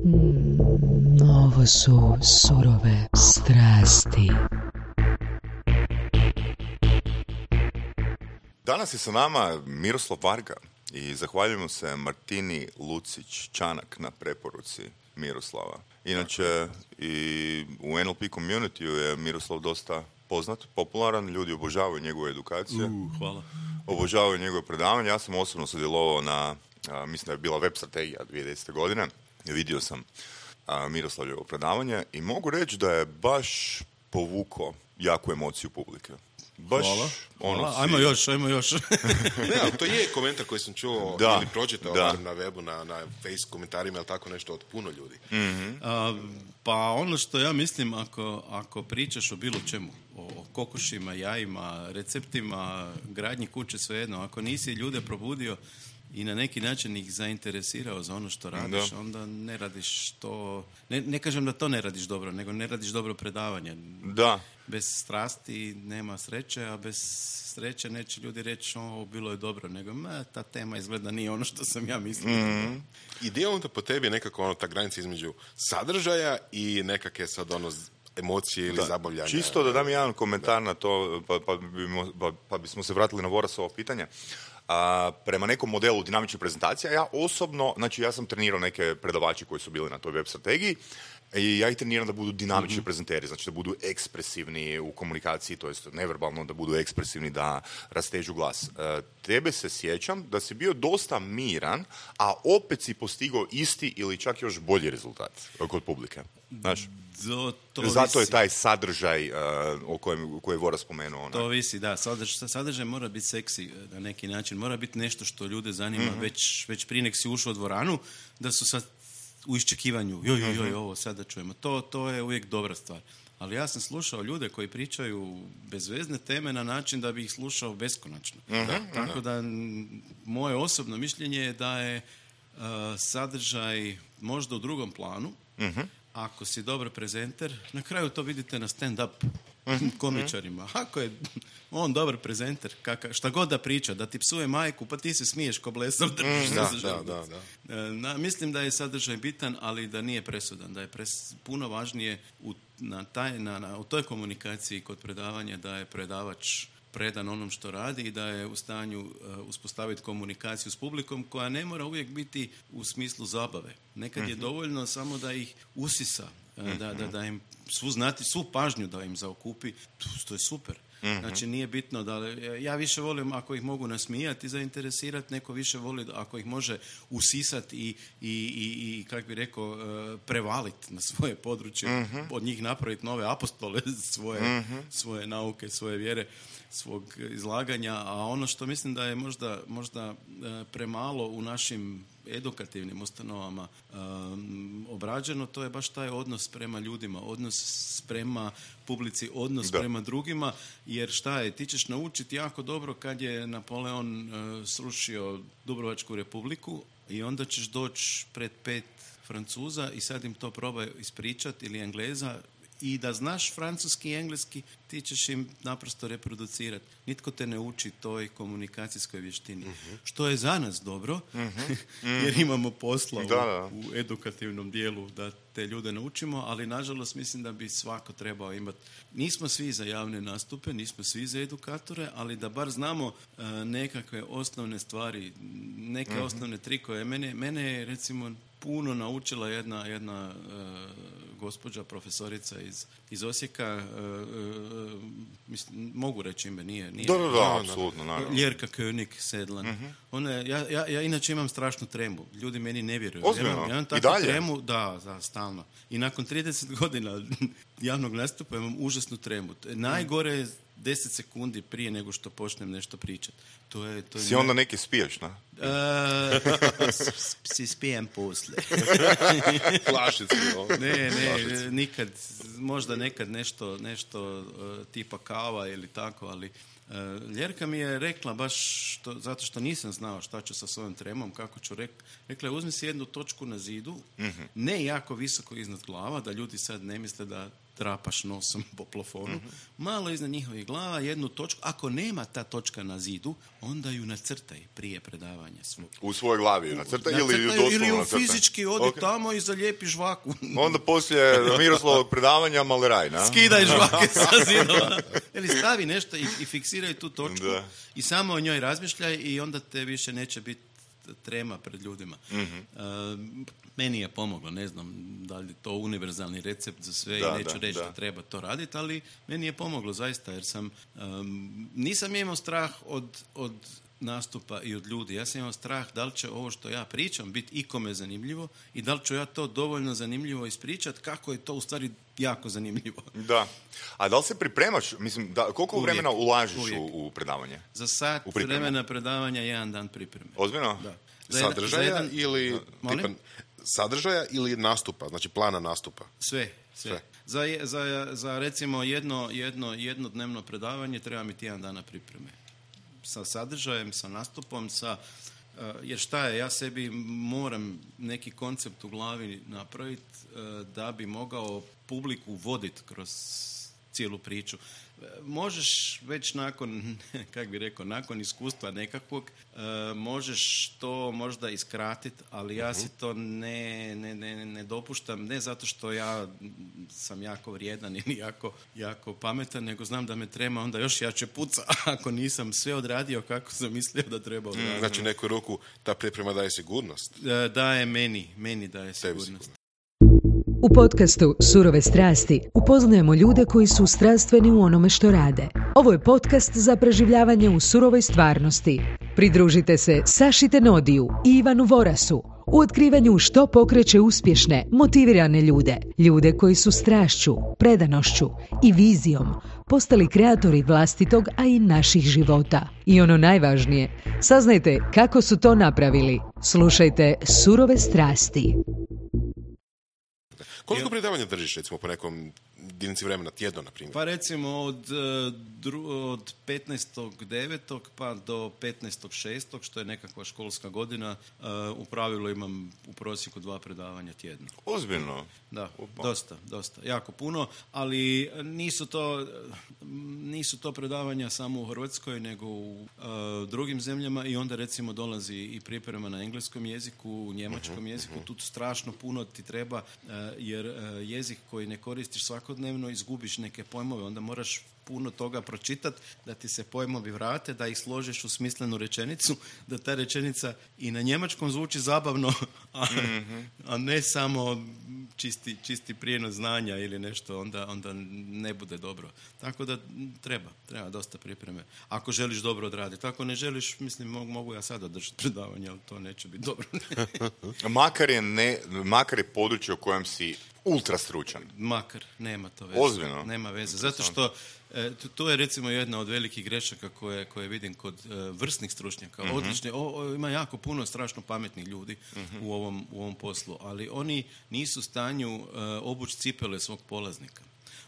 Ovo su surove strasti. Danas je sa nama Miroslav Varga i zahvaljujemo se Martini Lucić-Čanak na preporuci Miroslava. Inače, i u NLP community je Miroslav dosta poznat, popularan, ljudi obožavaju njegovu edukaciju. Hvala. Obožavaju njegove predavanje. Ja sam osobno sudjelovao na, mislim da je bila web strategija 2010. godine. Vidio sam Miroslavljevo predavanje i mogu reći da je baš povukao jaku emociju publike. Baš, Hvala. Ajmo još. Ne, ali to je komentar koji sam čuo ili pročitao na webu, na face komentarima ili tako nešto od puno ljudi. Mm-hmm. Pa ono što ja mislim, ako pričaš o bilo čemu, o kokošima, jajima, receptima, gradnji kuće, svejedno, ako nisi ljude probudio i na neki način ih zainteresirao za ono što radiš, onda ne radiš to... Ne kažem da to ne radiš dobro, nego ne radiš dobro predavanje. Da. Bez strasti nema sreće, a bez sreće neće ljudi reći ovo bilo je dobro, nego ta tema izgleda nije ono što sam ja mislio. Mm-hmm. Ideja onda po tebi je nekako ta granica između sadržaja i nekakve sad emocije ili zabavljanja. Čisto da dam jedan komentar na to, pa bismo se vratili na Vorasovo pitanje. Prema nekom modelu dinamične prezentacije, ja osobno, znači ja sam trenirao neke predavače koji su bili na toj web strategiji i ja ih treniram da budu dinamični prezenteri, znači da budu ekspresivni u komunikaciji, to jest neverbalno da budu ekspresivni, da rastežu glas. Tebe se sjećam da si bio dosta miran, a opet si postigao isti ili čak još bolji rezultat kod publike. Znaš? Zato je taj sadržaj koji je Vora spomenuo. To visi, da. Sadržaj mora biti seksi na neki način. Mora biti nešto što ljude zanima već prije nek si ušao u dvoranu, da su sad u iščekivanju. Ovo sada čujemo. To je uvijek dobra stvar. Ali ja sam slušao ljude koji pričaju bezvezne teme na način da bi ih slušao beskonačno. Tako da moje osobno mišljenje je da je sadržaj možda u drugom planu. Ako si dobar prezenter, na kraju to vidite na stand-up komičarima. Ako je on dobar prezenter, šta god da priča, da ti psuje majku, pa ti se smiješ ko blesav. Mislim da je sadržaj bitan, ali da nije presudan. Da je puno važnije u toj komunikaciji kod predavanja da je predavač predan onom što radi i da je u stanju uspostaviti komunikaciju s publikom koja ne mora uvijek biti u smislu zabave. Nekad je dovoljno samo da ih usisa, da im svu pažnju da im zaokupi, to je super. Znači nije bitno da... Ja više volim ako ih mogu nasmijati i zainteresirati, neko više voli ako ih može usisati i kako bi rekao, prevaliti na svoje područje, od njih napraviti nove apostole svoje nauke, svoje vjere, svog izlaganja, a ono što mislim da je možda premalo u našim edukativnim ustanovama obrađeno, to je baš taj odnos prema ljudima, odnos prema publici, odnos prema drugima, jer šta je, ti ćeš naučiti jako dobro kad je Napoleon srušio Dubrovačku republiku i onda ćeš doći pred 5 Francuza i sad im to probaj ispričati ili Engleza i da znaš francuski i engleski, ti ćeš im naprosto reproducirati. Nitko te ne uči toj komunikacijskoj vještini. Što je za nas dobro, jer imamo posla u edukativnom dijelu da te ljude naučimo, ali nažalost mislim da bi svako trebao imati. Nismo svi za javne nastupe, nismo svi za edukatore, ali da bar znamo nekakve osnovne stvari, neke osnovne trikove. Mene je recimo puno naučila jedna gospođa, profesorica iz Osijeka, mislim, mogu reći ime, nije. Da, apsolutno, naravno. Ljerka König Sedlan. Ja inače imam strašnu tremu. Ljudi meni ne vjeruju. Ozbiljno? Ja imam takvu tremu, da, stalno. I nakon 30 godina javnog nastupa imam užasnu tremu. Najgore je 10 sekundi prije nego što počnem nešto pričati. Si onda neki spiješ, na? Si spijem poslije. Flašicu. Ne, nikad, možda nekad nešto tipa kava ili tako, ali Ljerka mi je rekla baš zato što nisam znao šta ću sa svojom tremom, kako ću rekla je uzmi si jednu točku na zidu, ne jako visoko iznad glava, da ljudi sad ne misle da trapaš nosom po plafonu, malo iznad njihovih glava, jednu točku. Ako nema ta točka na zidu, onda ju nacrtaj prije predavanja svog. U svojoj glavi ju nacrtaj ili doslovno nacrtaj? Fizički odi tamo i zalijepi žvaku. Onda poslije Miroslavog predavanja maleraj, na? Skidaj žvake sa zidova. Ili stavi nešto i fiksiraj tu točku i samo o njoj razmišljaj i onda te više neće biti trema pred ljudima. Meni je pomoglo, ne znam da li je to univerzalni recept za sve i neću reći da treba to raditi, ali meni je pomoglo zaista jer nisam imao strah od nastupa i od ljudi. Ja sam imao strah da li će ovo što ja pričam biti ikome zanimljivo i da li ću ja to dovoljno zanimljivo ispričati, kako je to u stvari jako zanimljivo. Da. A da li se pripremaš? Mislim, koliko vremena ulažiš u predavanje? Za sat vremena predavanja 1 dan pripreme. Ozbiljno? Da. Sadržaja ili sadržaja ili nastupa, znači plana nastupa? Sve. Za recimo jednodnevno predavanje treba mi 1 dana pripreme. Sa sadržajem, sa nastupom, jer šta je, ja sebi moram neki koncept u glavi napraviti da bi mogao publiku voditi kroz cijelu priču. Možeš već nakon iskustva nekakvog, možeš to možda iskratiti, ali ja si to ne dopuštam, ne zato što ja sam jako vrijedan ili jako pametan, nego znam da me trema onda još jače puca ako nisam sve odradio kako sam mislio da treba odraditi. Znači neku ruku ta priprema daje sigurnost? Daje meni daje sigurnost. U podcastu Surove strasti upoznajemo ljude koji su strastveni u onome što rade. Ovo je podcast za preživljavanje u surovoj stvarnosti. Pridružite se Saši Tenodiju i Ivanu Vorasu u otkrivanju što pokreće uspješne, motivirane ljude. Ljude koji su strašću, predanošću i vizijom postali kreatori vlastitog, a i naših života. I ono najvažnije, saznajte kako su to napravili. Slušajte Surove strasti. Koliko predavanja držiš, recimo, po nekom jedinici vremena, tjedno, na primjer? Pa recimo od 15.9. pa do 15.6. što je nekakva školska godina, u pravilu imam u prosjeku 2 predavanja tjedno. Ozbiljno? Da, dosta, jako puno, ali nisu to predavanja samo u Hrvatskoj, nego u drugim zemljama i onda recimo dolazi i priprema na engleskom jeziku, u njemačkom jeziku, tu strašno puno ti treba, jer jezik koji ne koristiš svakodnevno izgubiš neke pojmove, onda moraš puno toga pročitati da ti se pojmovi vrate, da ih složiš u smislenu rečenicu, da ta rečenica i na njemačkom zvuči zabavno, a ne samo čisti prijenos znanja ili nešto, onda ne bude dobro. Tako da treba dosta pripreme. Ako želiš dobro odraditi. Ako ne želiš, mislim, mogu ja sada držati predavanje, ali to neće biti dobro. Makar je područje u kojem si ultra stručan. Makar, nema to veze. Ozbiljno? Nema veze. Zato što to je recimo jedna od velikih grešaka koje vidim kod vrsnih stručnjaka. Odlični, ima jako puno strašno pametnih ljudi u ovom poslu, ali oni nisu u stanju obući cipele svog polaznika.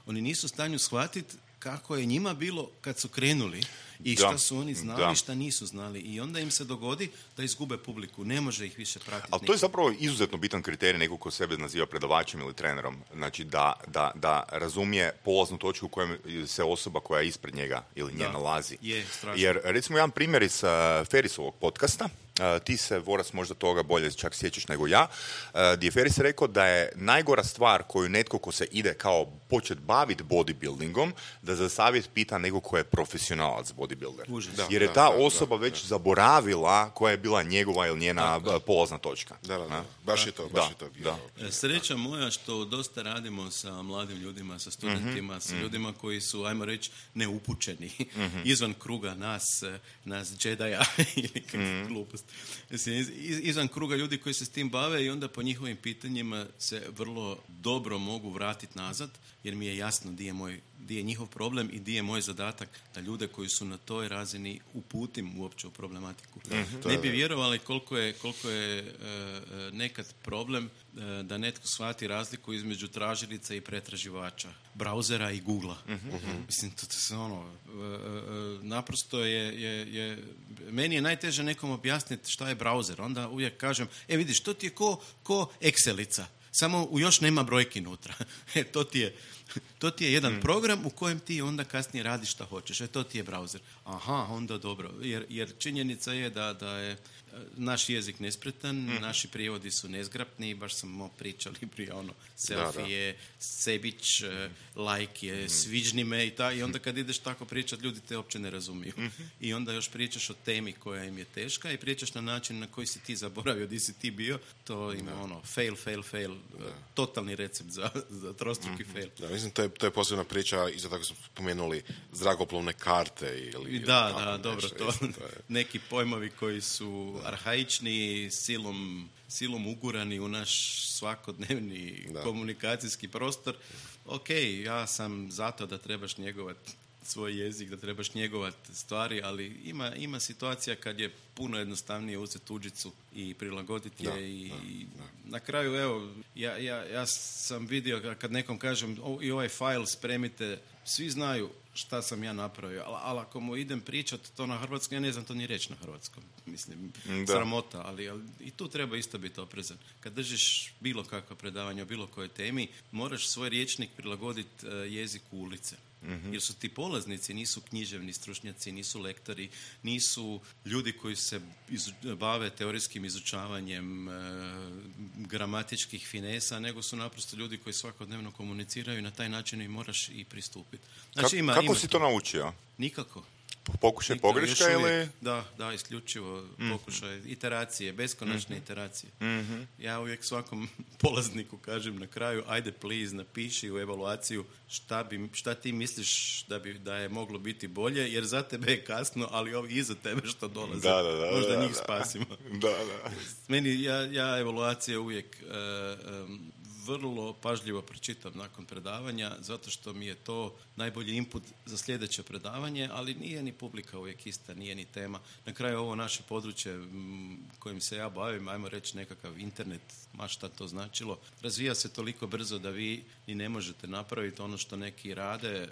Oni nisu u stanju shvatiti kako je njima bilo kad su krenuli i šta su oni znali, šta nisu znali. I onda im se dogodi da izgube publiku. Ne može ih više pratiti. Ali to je zapravo izuzetno bitan kriterij nekog ko sebe naziva predavačem ili trenerom. Znači da razumije polaznu točku u kojem se osoba koja je ispred njega ili nje nalazi. Jer recimo jedan primjer iz Ferrisovog podcasta, ti se, Voras, možda toga bolje čak sjećaš nego ja, gdje je Ferris rekao da je najgora stvar koju netko ko se ide kao počet baviti bodybuildingom, da za savjet pita nekog ko je profesionalac bodybuilder. Jer je ta osoba već zaboravila koja je bila njegova ili njena polazna točka. Baš je to. Sreća moja što dosta radimo sa mladim ljudima, sa studentima, sa ljudima koji su, ajmo reći, neupućeni izvan kruga nas Jedi-a ili kakve gluposti. Izvan kruga ljudi koji se s tim bave i onda po njihovim pitanjima se vrlo dobro mogu vratiti nazad, jer mi je jasno di je njihov problem i di je moj zadatak da ljude koji su na toj razini uputim uopće u problematiku. Ne bi vjerovali koliko je nekad problem da netko shvati razliku između tražilica i pretraživača, brauzera i Googlea. Mislim, to se naprosto je meni je najteže nekom objasniti šta je brauzer. Onda uvijek kažem, vidiš, to ti je ko Excelica. Samo još nema brojki unutra. To ti je jedan program u kojem ti onda kasnije radiš šta hoćeš. To ti je browser. Aha, onda dobro. Jer činjenica je da je naš jezik nespretan, naši prijevodi su nezgrapni, baš smo pričali prije selfie je sebić, like je sviđni me i onda kad ideš tako pričat, ljudi te uopće ne razumiju. I onda još pričaš o temi koja im je teška i pričaš na način na koji si ti zaboravio, di si ti bio, to ima fail. Totalni recept za trostruki fail. Da, mislim, to je posebna priča, isto tako smo spomenuli zrakoplovne karte ili... Da, dobro, to je neki pojmovi koji su arhaični, silom ugurani u naš svakodnevni komunikacijski prostor. Ok, ja sam zato da trebaš njegovati svoj jezik, da trebaš njegovati stvari, ali ima situacija kad je puno jednostavnije uzeti tuđicu i prilagoditi je i na kraju, evo, ja sam vidio kad nekom kažem i ovaj file spremite, svi znaju šta sam ja napravio, ali ako mu idem pričat to na hrvatskom, ja ne znam to ni reći na hrvatskom. Mislim, sramota, ali i tu treba isto biti oprezan. Kad držiš bilo kakva predavanja o bilo kojoj temi, moraš svoj rječnik prilagoditi jeziku ulice. Jer su ti polaznici, nisu književni stručnjaci, nisu lektori, nisu ljudi koji se bave teorijskim izučavanjem gramatičkih finesa, nego su naprosto ljudi koji svakodnevno komuniciraju i na taj način im moraš i pristupiti. Znači, kako si to naučio? Nikako. Pokušaj pogreška ili? Da, isključivo pokušaj iteracije, beskonačne iteracije. Ja uvijek svakom polazniku kažem na kraju, ajde please napiši u evaluaciju šta ti misliš da je moglo biti bolje, jer za tebe je kasno, ali ovi iza tebe što dolaze, možda njih spasimo. Meni, ja evaluacije uvijek vrlo pažljivo pročitam nakon predavanja, zato što mi je to najbolji input za sljedeće predavanje, ali nije ni publika uvijek ista, nije ni tema. Na kraju ovo naše područje kojim se ja bavim, ajmo reći nekakav internet, ma šta to značilo, razvija se toliko brzo da vi ni ne možete napraviti ono što neki rade,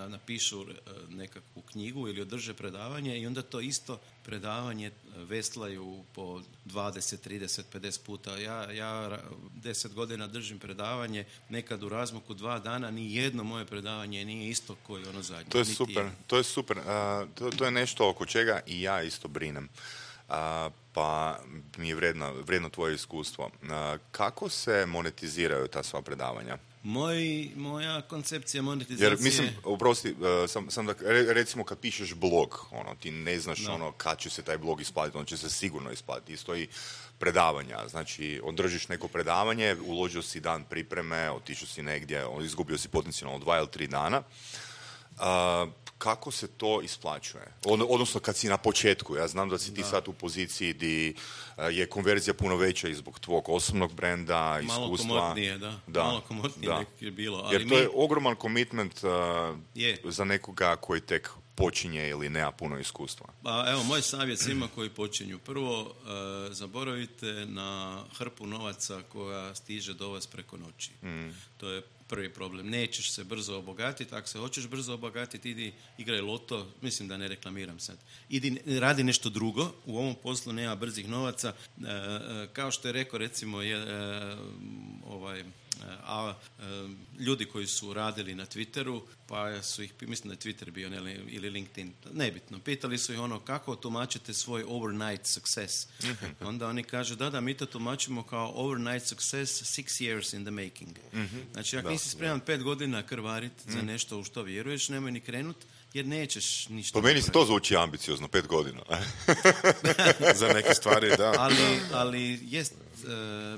napišu nekakvu knjigu ili održe predavanje i onda to isto predavanje veslaju po 20, 30, 50 puta. Ja 10 godina držim predavanje, nekad u razmaku 2 dana, ni jedno moje predavanje nije isto koji ono zadnje. To je super. To je nešto oko čega i ja isto brinem. Pa mi je vredno tvoje iskustvo. Kako se monetiziraju ta sva predavanja? Moja koncepcija monetizacije... Jer mislim, oprosti, sam da, recimo kad pišeš blog, ti ne znaš kad će se taj blog isplatiti, on će se sigurno isplatiti. Isto i predavanja, znači održiš neko predavanje, uložio si dan pripreme, otišao si negdje, izgubio si potencijalno 2 ili 3 dana. Kako se to isplaćuje? Odnosno kad si na početku, ja znam da si ti sad u poziciji gdje je konverzija puno veća i zbog tvog osobnog brenda, iskustva. Malo komotnije je bilo. Ali jer to je ogroman komitment za nekoga koji tek počinje ili nema puno iskustva. Pa evo, moj savjet svima koji počinju. Prvo, zaboravite na hrpu novaca koja stiže do vas preko noći. To je prvi problem. Nećeš se brzo obogatiti. Ako se hoćeš brzo obogatiti, idi igraj loto. Mislim da ne reklamiram sad. Idi radi nešto drugo. U ovom poslu nema brzih novaca. Kao što je rekao recimo ljudi koji su radili na Twitteru, pa su ih, mislim da je Twitter bio ili LinkedIn, nebitno, pitali su ih kako tumačite svoj overnight success. Onda oni kažu da mi to tumačimo kao overnight success 6 years in the making. Znači, ako nisi spreman 5 godina krvariti za nešto u što vjeruješ, nemoj ni krenut, jer nećeš ništa. Po meni se to zvuči ambiciozno, 5 godina. Za neke stvari, da. Ali jest,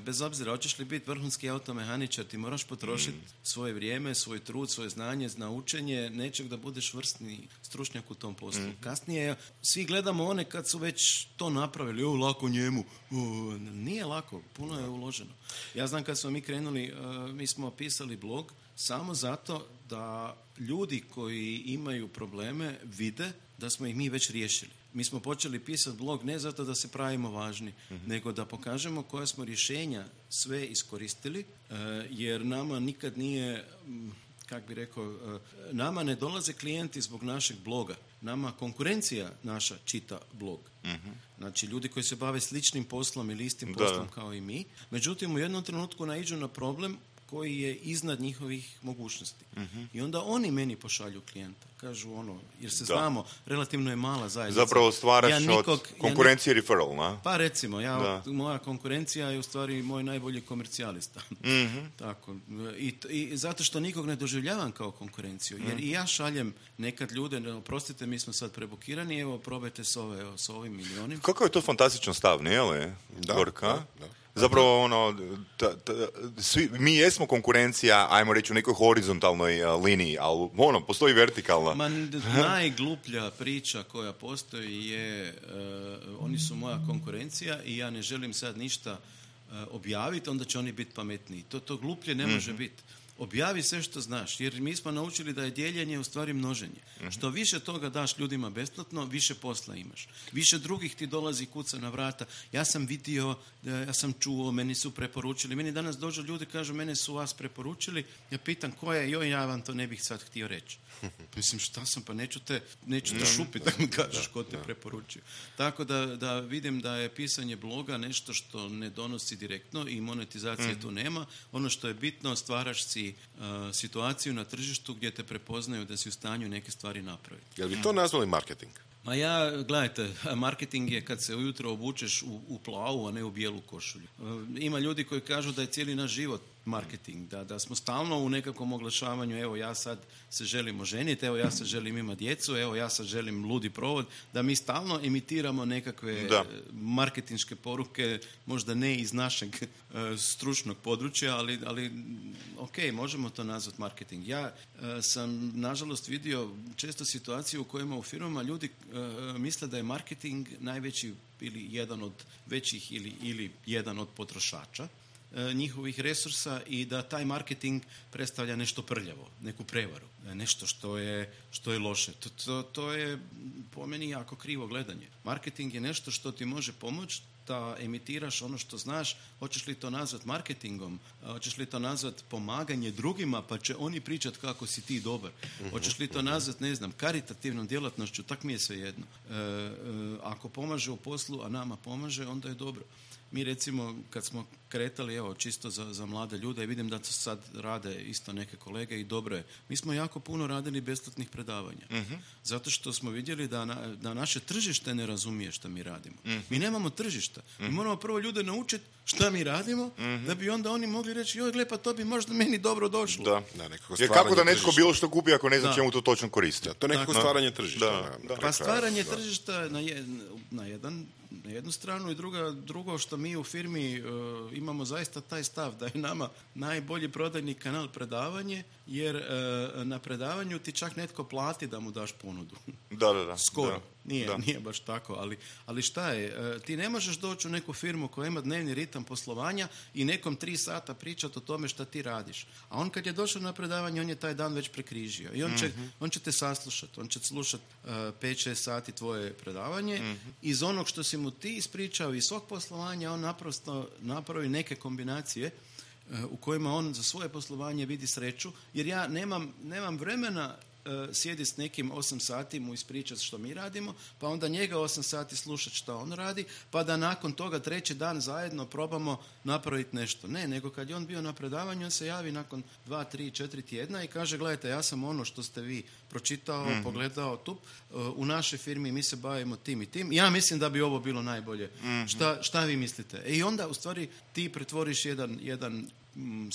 bez obzira, hoćeš li biti vrhunski automehaničar, ti moraš potrošiti svoje vrijeme, svoj trud, svoje znanje, na učenje nečeg da budeš vrsni stručnjak u tom poslu. Kasnije svi gledamo one kad su već to napravili, lako njemu. Nije lako, puno je uloženo. Ja znam kad smo mi krenuli, mi smo pisali blog samo zato da ljudi koji imaju probleme vide da smo ih mi već riješili. Mi smo počeli pisati blog ne zato da se pravimo važni, nego da pokažemo koja smo rješenja sve iskoristili, jer nama nikad nije, kako bi rekao, nama ne dolaze klijenti zbog našeg bloga. Nama konkurencija naša čita blog. Znači, ljudi koji se bave sličnim poslom ili istim poslom kao i mi. Međutim, u jednom trenutku naiđu na problem koji je iznad njihovih mogućnosti. I onda oni meni pošalju klijenta. Kažu jer se znamo, relativno je mala zajednica. Zapravo stvaraš od konkurencije referral, na? Pa recimo, moja konkurencija je u stvari moj najbolji komercijalista. Tako. I zato što nikog ne doživljavam kao konkurenciju. Jer i ja šaljem nekad ljude, oprostite, mi smo sad prebukirani, evo, probajte s ovim milionima. Kako je to fantastičan stav, nije li? Da. Zapravo, mi jesmo konkurencija, ajmo reći, u nekoj horizontalnoj liniji, ali postoji vertikalna. Najgluplja priča koja postoji je, oni su moja konkurencija i ja ne želim sad ništa objaviti, onda će oni biti pametniji. To gluplje ne može biti. Objavi sve što znaš, jer mi smo naučili da je dijeljenje u stvari množenje. Što više toga daš ljudima besplatno, više posla imaš. Više drugih ti dolazi kuca na vrata. Ja sam vidio, ja sam čuo, meni su preporučili. Meni danas dođu ljudi, kažu, mene su vas preporučili. Ja pitam ko je, ja vam to ne bih sad htio reći. Mislim, šta sam, pa neću te šupiti da mi kažeš ko te preporučio. Tako da vidim da je pisanje bloga nešto što ne donosi direktno i monetizacije tu nema. Ono što je bitno, stvaraš si situaciju na tržištu gdje te prepoznaju da si u stanju neke stvari napraviti. Jel bi to nazvali marketing? Ma gledajte, marketing je kad se ujutro obučeš u plavu, a ne u bijelu košulju. Ima ljudi koji kažu da je cijeli naš život marketing, da smo stalno u nekakvom oglašavanju, evo ja sad se želim oženiti, evo ja sad želim imati djecu, evo ja sad želim ludi provod, da mi stalno imitiramo nekakve marketinške poruke, možda ne iz našeg stručnog područja, ali ok, možemo to nazvati marketing. Ja sam nažalost vidio često situaciju u kojima u firmama ljudi misle da je marketing najveći ili jedan od većih ili jedan od potrošača njihovih resursa i da taj marketing predstavlja nešto prljavo, neku prevaru, nešto što je loše. To je po meni jako krivo gledanje. Marketing je nešto što ti može pomoći da emitiraš ono što znaš. Hoćeš li to nazvat marketingom, hoćeš li to nazvat pomaganje drugima pa će oni pričati kako si ti dobar, hoćeš li to nazvat, ne znam, karitativnom djelatnošću, tak mi je svejedno. Ako pomaže u poslu, a nama pomaže, onda je dobro. Mi recimo kad smo kretali, evo čisto za mlade ljude, i vidim da to sad rade isto neke kolege i dobro je. Mi smo jako puno radili besplatnih predavanja. Zato što smo vidjeli da naše tržište ne razumije što mi radimo. Mi nemamo tržišta. Mi moramo prvo ljude naučiti šta mi radimo, da bi onda oni mogli reći, joj gle, pa to bi možda meni dobro došlo. Da, jer kako da netko bilo što kupi ako ne zna čemu to točno koristi? To je nekako stvaranje tržišta. Pa stvaranje tržišta na jednu stranu i drugo što mi u firmi imamo zaista taj stav da je nama najbolji prodajni kanal predavanje, jer na predavanju ti čak netko plati da mu daš ponudu. Da. Skoro. Nije baš tako, ali šta je? Ti ne možeš doći u neku firmu koja ima dnevni ritam poslovanja i nekom 3 sata pričati o tome šta ti radiš. A on kad je došao na predavanje, on je taj dan već prekrižio. I on će te saslušati. On će slušati 5-6 sati tvoje predavanje. Iz onog što si mu ti ispričao iz svog poslovanja, on naprosto napravi neke kombinacije u kojima on za svoje poslovanje vidi sreću, jer ja nemam vremena sjedi s nekim 8 sati mu ispričati što mi radimo, pa onda njega 8 sati slušati što on radi, pa da nakon toga 3. dan zajedno probamo napraviti nešto. Ne, nego kad je on bio na predavanju, on se javi nakon 2, 3, 4 tjedna i kaže, gledajte, ja sam ono što ste vi pročitao, pogledao tu, u našoj firmi mi se bavimo tim i tim. Ja mislim da bi ovo bilo najbolje. Šta vi mislite? I onda u stvari ti pretvoriš jedan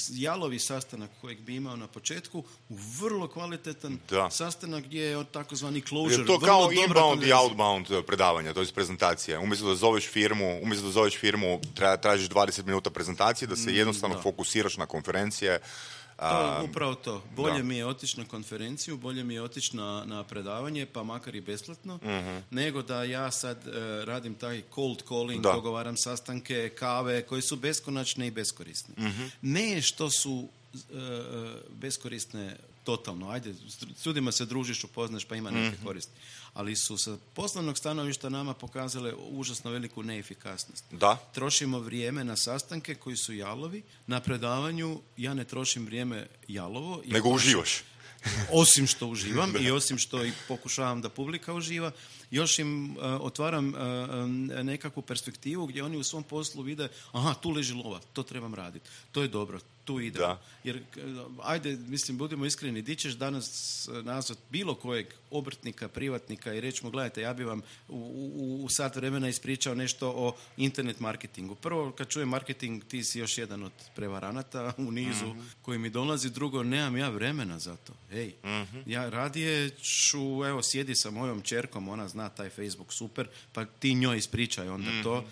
jalovi sastanak kojeg bi imao na početku u vrlo kvalitetan sastanak gdje je takozvani closure. Je to kao inbound i outbound predavanja, to je prezentacija. Umjesto da zoveš firmu, tražiš 20 minuta prezentacije, da se jednostavno fokusiraš na konferencije. Upravo to. Bolje mi je otići na konferenciju, bolje mi je otići na predavanje, pa makar i besplatno, nego da ja sad radim taj cold calling, dogovaram sastanke, kave, koje su beskonačne i beskorisne. Ne što su beskorisne totalno. Ajde, s ljudima se družiš, upoznaš, pa ima neke koristi. Ali su sa poslovnog stanovišta nama pokazale užasno veliku neefikasnost. Trošimo vrijeme na sastanke koji su jalovi. Na predavanju ja ne trošim vrijeme jalovo. Nego uživaš. osim što uživam i osim što i pokušavam da publika uživa, još im otvaram nekakvu perspektivu gdje oni u svom poslu vide, aha, tu leži lova, to trebam raditi, to je dobro, tu idem. Da. Jer, ajde, mislim, budimo iskreni, di ćeš danas nazvat bilo kojeg obrtnika, privatnika i reći mu, gledajte, ja bi vam u sat vremena ispričao nešto o internet marketingu. Prvo, kad čujem marketing, ti si još jedan od prevaranata u nizu koji mi dolazi. Drugo, nemam ja vremena za to. Hej, ja radije ću, evo, sjedi sa mojom ćerkom, ona zna taj Facebook super, pa ti njoj ispričaj onda to.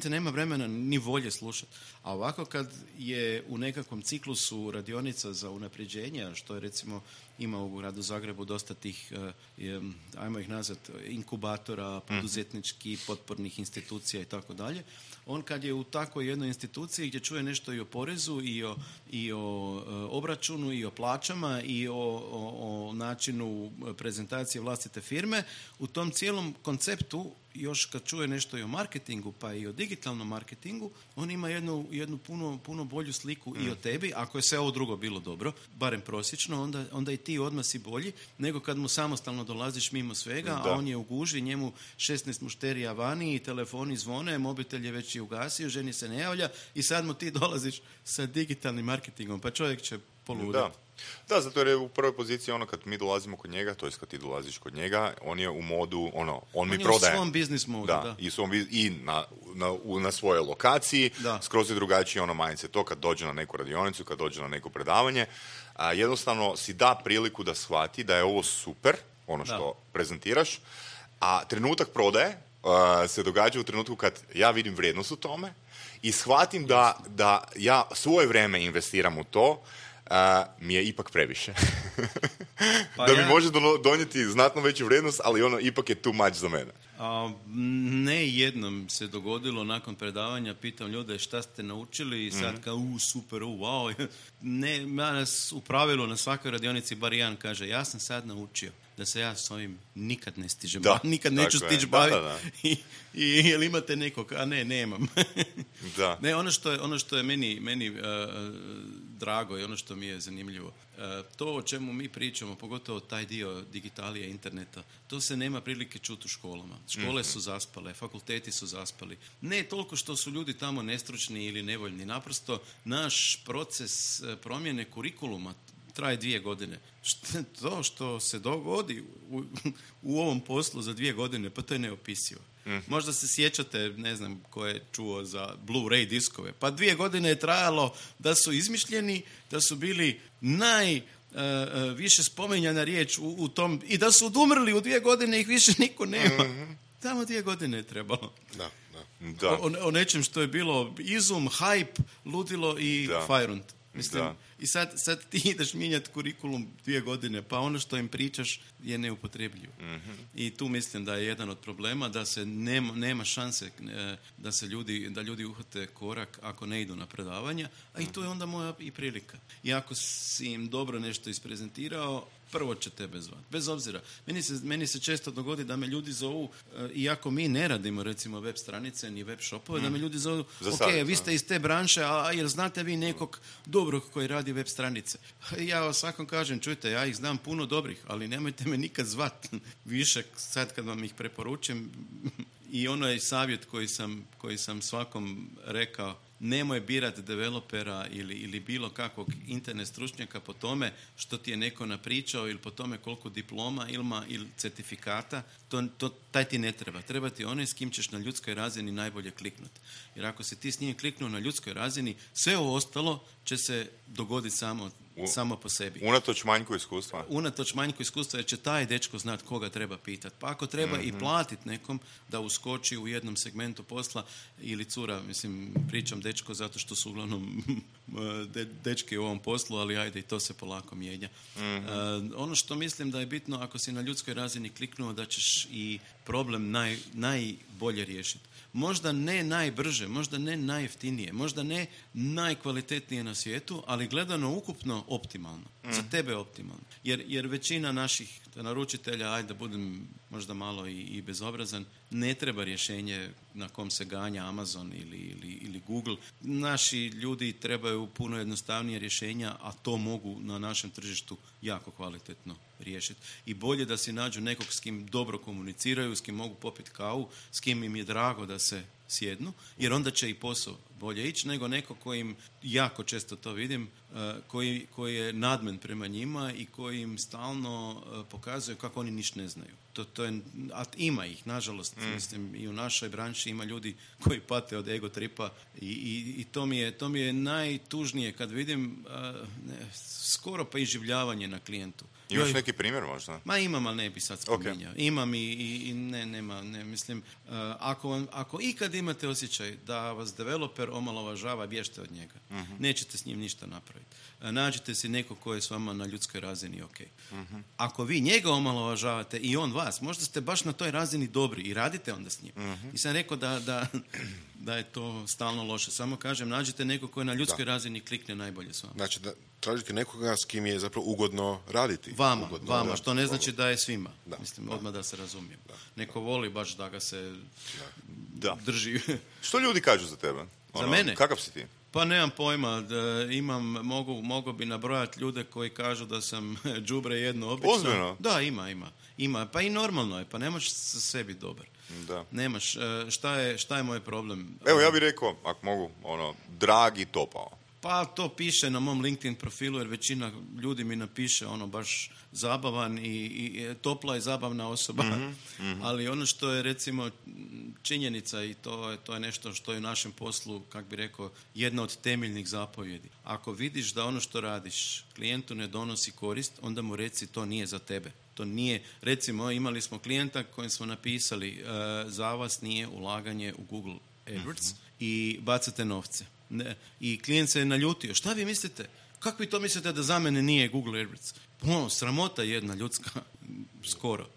Te nema vremena ni volje slušati. A ovako kad je u nekakvom ciklusu radionica za unapređenje, što je recimo ima u gradu Zagrebu dosta tih, ajmo ih nazvati, inkubatora, poduzetničkih, potpornih institucija i tako dalje. On kad je u takvoj jednoj instituciji gdje čuje nešto i o porezu i o obračunu i o plaćama i o načinu prezentacije vlastite firme, u tom cijelom konceptu još kad čuje nešto i o marketingu pa i o digitalnom marketingu, on ima jednu puno bolju sliku i o tebi, ako je sve ovo drugo bilo dobro, barem prosječno, onda i ti odmah si bolji, nego kad mu samostalno dolaziš mimo svega, a on je u guži, njemu 16 mušterija vani i telefoni zvone, mobitel je već i ugasio, ženi se ne javlja i sad mu ti dolaziš sa digitalnim marketingom, pa čovjek će poluditi. Da, zato jer je u prvoj poziciji kad mi dolazimo kod njega, to jest kad ti dolaziš kod njega, on je u modu, on mi prodaje. On je u svom biznis modu, da. I na svojoj lokaciji, skroz je drugačiji mindset. To kad dođe na neku radionicu, kad dođe na neko predavanje, jednostavno si da priliku da shvati da je ovo super, što prezentiraš, a trenutak prodaje se događa u trenutku kad ja vidim vrijednost u tome i shvatim da ja svoje vrijeme investiram u to, mi je ipak previše. Da mi može donijeti znatno veću vrijednost, ali ipak je too much za mene. Ne jednom se dogodilo nakon predavanja, pitam ljude šta ste naučili i sad kao super, wow. Ne, u pravilu na svakoj radionici bar jedan kaže, ja sam sad naučio da se ja s ovim nikad ne stižem, nikad neću stići baviti. I jel imate nekog? A ne, nemam. Ne, ono što je meni drago i ono što mi je zanimljivo, to o čemu mi pričamo, pogotovo taj dio digitalije, interneta, to se nema prilike čuti u školama. Škole su zaspale, fakulteti su zaspali. Ne toliko što su ljudi tamo nestručni ili nevoljni, naprosto naš proces promjene kurikuluma traje 2 godine. To što se dogodi u ovom poslu za 2 godine, pa to je neopisivo. Možda se sjećate, ne znam ko je čuo za Blu-ray diskove. Pa 2 godine je trajalo da su izmišljeni, da su bili najviše spominjana riječ u tom, i da su odumrli u 2 godine, ih više niko nema. Tamo 2 godine je trebalo. Da. O nečem što je bilo izum, hype, ludilo i fajrunt. Mislim, i sad ti ideš mijenjati kurikulum 2 godine, pa ono što im pričaš je neupotrebljivo. I tu mislim da je jedan od problema, da se nema šanse da ljudi uhvate korak ako ne idu na predavanja, a i to je onda moja i prilika. I ako si im dobro nešto isprezentirao, prvo će tebe zvati. Bez obzira. Meni se često dogodi da me ljudi zovu, iako mi ne radimo recimo web stranice ni web shopove, da me ljudi zovu, vi ste iz te branše, a jer znate vi nekog dobrog koji radi web stranice? Ja svakom kažem, čujte, ja ih znam puno dobrih, ali nemojte me nikad zvati više sad kad vam ih preporučim. I ono je savjet koji sam svakom rekao, nemoj birati developera ili bilo kakvog internet stručnjaka po tome što ti je neko napričao ili po tome koliko diploma ima ili certifikata, taj ti ne treba. Treba ti onaj s kim ćeš na ljudskoj razini najbolje kliknuti. Jer ako se ti s njim kliknuo na ljudskoj razini, sve ovo ostalo će se dogoditi samo po sebi. Unatoč manjku iskustva. Unatoč manjku iskustva, jer će taj dečko znat koga treba pitati. Pa ako treba i platiti nekom da uskoči u jednom segmentu posla ili cura, mislim, pričam dečko zato što su uglavnom dečki u ovom poslu, ali ajde i to se polako mijenja. Ono što mislim da je bitno, ako si na ljudskoj razini kliknuo, da ćeš i problem najbolje riješiti. Možda ne najbrže, možda ne najjeftinije, možda ne najkvalitetnije na svijetu, ali gledano ukupno optimalno. Za tebe optimalno. Jer većina naših naručitelja, ajde da budem možda malo i bezobrazan, ne treba rješenje na kom se ganja Amazon ili Google. Naši ljudi trebaju puno jednostavnije rješenja, a to mogu na našem tržištu jako kvalitetno riješiti. I bolje da si nađu nekog s kim dobro komuniciraju, s kim mogu popiti kavu, s kim im je drago da se sjednu, jer onda će i posao bolje ići nego neko kojim, jako često to vidim, koji je nadmen prema njima i koji im stalno pokazuje kako oni ništa ne znaju. To je, a ima ih, nažalost, mislim, i u našoj branši ima ljudi koji pate od ego tripa i to mi je najtužnije kad vidim skoro pa iživljavanje na klijentu. Imaš neki primjer možda? Ma imam, ali ne bi sad spominjao. Okay. Imam ne, mislim, ako ikad imate osjećaj da vas developer omalovažava, bježte od njega. Nećete s njim ništa napraviti. Nađite si nekog koji je s vama na ljudskoj razini ok. Ako vi njega omalovažavate i on vas, možda ste baš na toj razini dobri i radite onda s njim. Nisam rekao da je to stalno loše. Samo kažem, nađite nekog koji je na ljudskoj razini klikne najbolje s vama. Znači, da tražite nekoga s kim je zapravo ugodno raditi. Vama, što ne znači da je svima. Mislim, odmah da se razumijem. Neko voli baš da ga se drži. Što ljudi kažu za tebe? Za mene? Kakav si ti? Pa nemam pojma, mogu bi nabrojati ljude koji kažu da sam đubre jedno obično. Ozbiljno? Da, ima. Pa i normalno je, pa ne možeš sa sebi dobar. Da. Nemaš, šta je moj problem? Evo, ja bih rekao, ako mogu, dragi topao. Pa to piše na mom LinkedIn profilu, jer većina ljudi mi napiše baš zabavan i topla i zabavna osoba. Ali ono što je recimo činjenica i to je nešto što je u našem poslu, kak bi rekao, jedna od temeljnih zapovjedi. Ako vidiš da ono što radiš klijentu ne donosi korist, onda mu reci to nije za tebe. To nije, recimo imali smo klijenta kojem smo napisali za vas nije ulaganje u Google AdWords i bacate novce. I klijent se je naljutio. Šta vi mislite? Kako vi to mislite da za mene nije Google AdWords? Sramota jedna ljudska, skoro.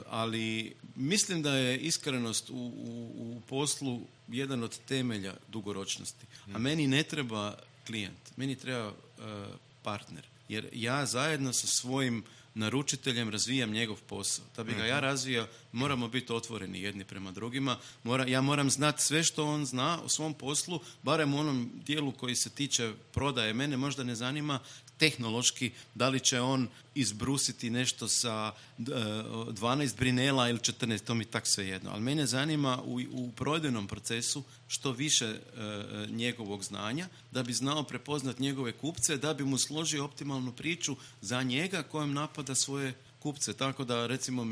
Ali mislim da je iskrenost u poslu jedan od temelja dugoročnosti. A meni ne treba klijent, meni treba partner. Jer ja zajedno sa svojim naručiteljem razvijam njegov posao. Da bi ga ja razvijao, moramo biti otvoreni jedni prema drugima. Ja moram znati sve što on zna o svom poslu, barem u onom dijelu koji se tiče prodaje. Mene možda ne zanima tehnološki da li će on izbrusiti nešto sa 12 brinela ili 14, to mi tak svejedno. Ali mene zanima u prodajnom procesu što više njegovog znanja, da bi znao prepoznati njegove kupce, da bi mu složio optimalnu priču za njega kojem napada svoje kupce. Tako da, recimo,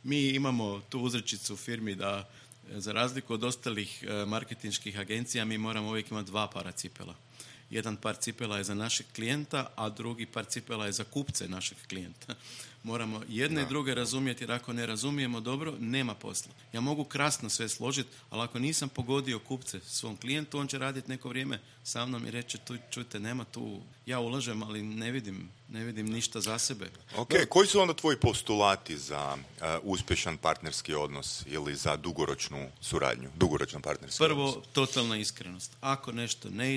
mi imamo tu uzrečicu u firmi da, za razliku od ostalih marketinških agencija, mi moramo uvijek imati 2 para cipela. Jedan par cipela je za našeg klijenta, a drugi par cipela je za kupce našeg klijenta. Moramo jedne i druge razumjeti, jer ako ne razumijemo dobro, nema posla. Ja mogu krasno sve složiti, ali ako nisam pogodio kupce svom klijentu, on će raditi neko vrijeme sa mnom i reći, čujte, nema tu, ja ulažem, ali ne vidim ništa za sebe. Ok, koji su onda tvoji postulati za uspješan partnerski odnos ili za dugoročnu suradnju, dugoročan partnerski odnos? Prvo, totalna iskrenost. Ako nešto ne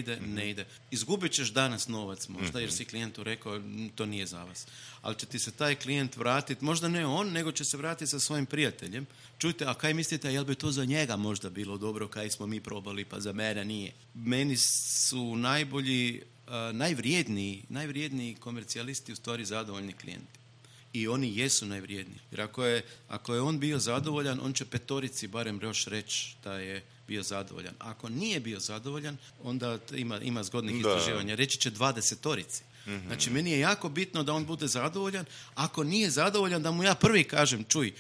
ide. Izgubit ćeš danas novac možda, jer si klijentu rekao, to nije za vas. Ali će ti se taj klijent vratiti, možda ne on, nego će se vratiti sa svojim prijateljem. Čujte, a kaj mislite, jel bi to za njega možda bilo dobro, kaj smo mi probali, pa za mene nije. Meni su najvrijedniji komercijalisti u stvari zadovoljni klijenti. I oni jesu najvrijedniji. Jer ako je on bio zadovoljan, on će 5 barem još reći da je bio zadovoljan. Ako nije bio zadovoljan, onda ima zgodnih istraživanja. Reći će 20. Znači, meni je jako bitno da on bude zadovoljan. Ako nije zadovoljan, da mu ja prvi kažem, čuj,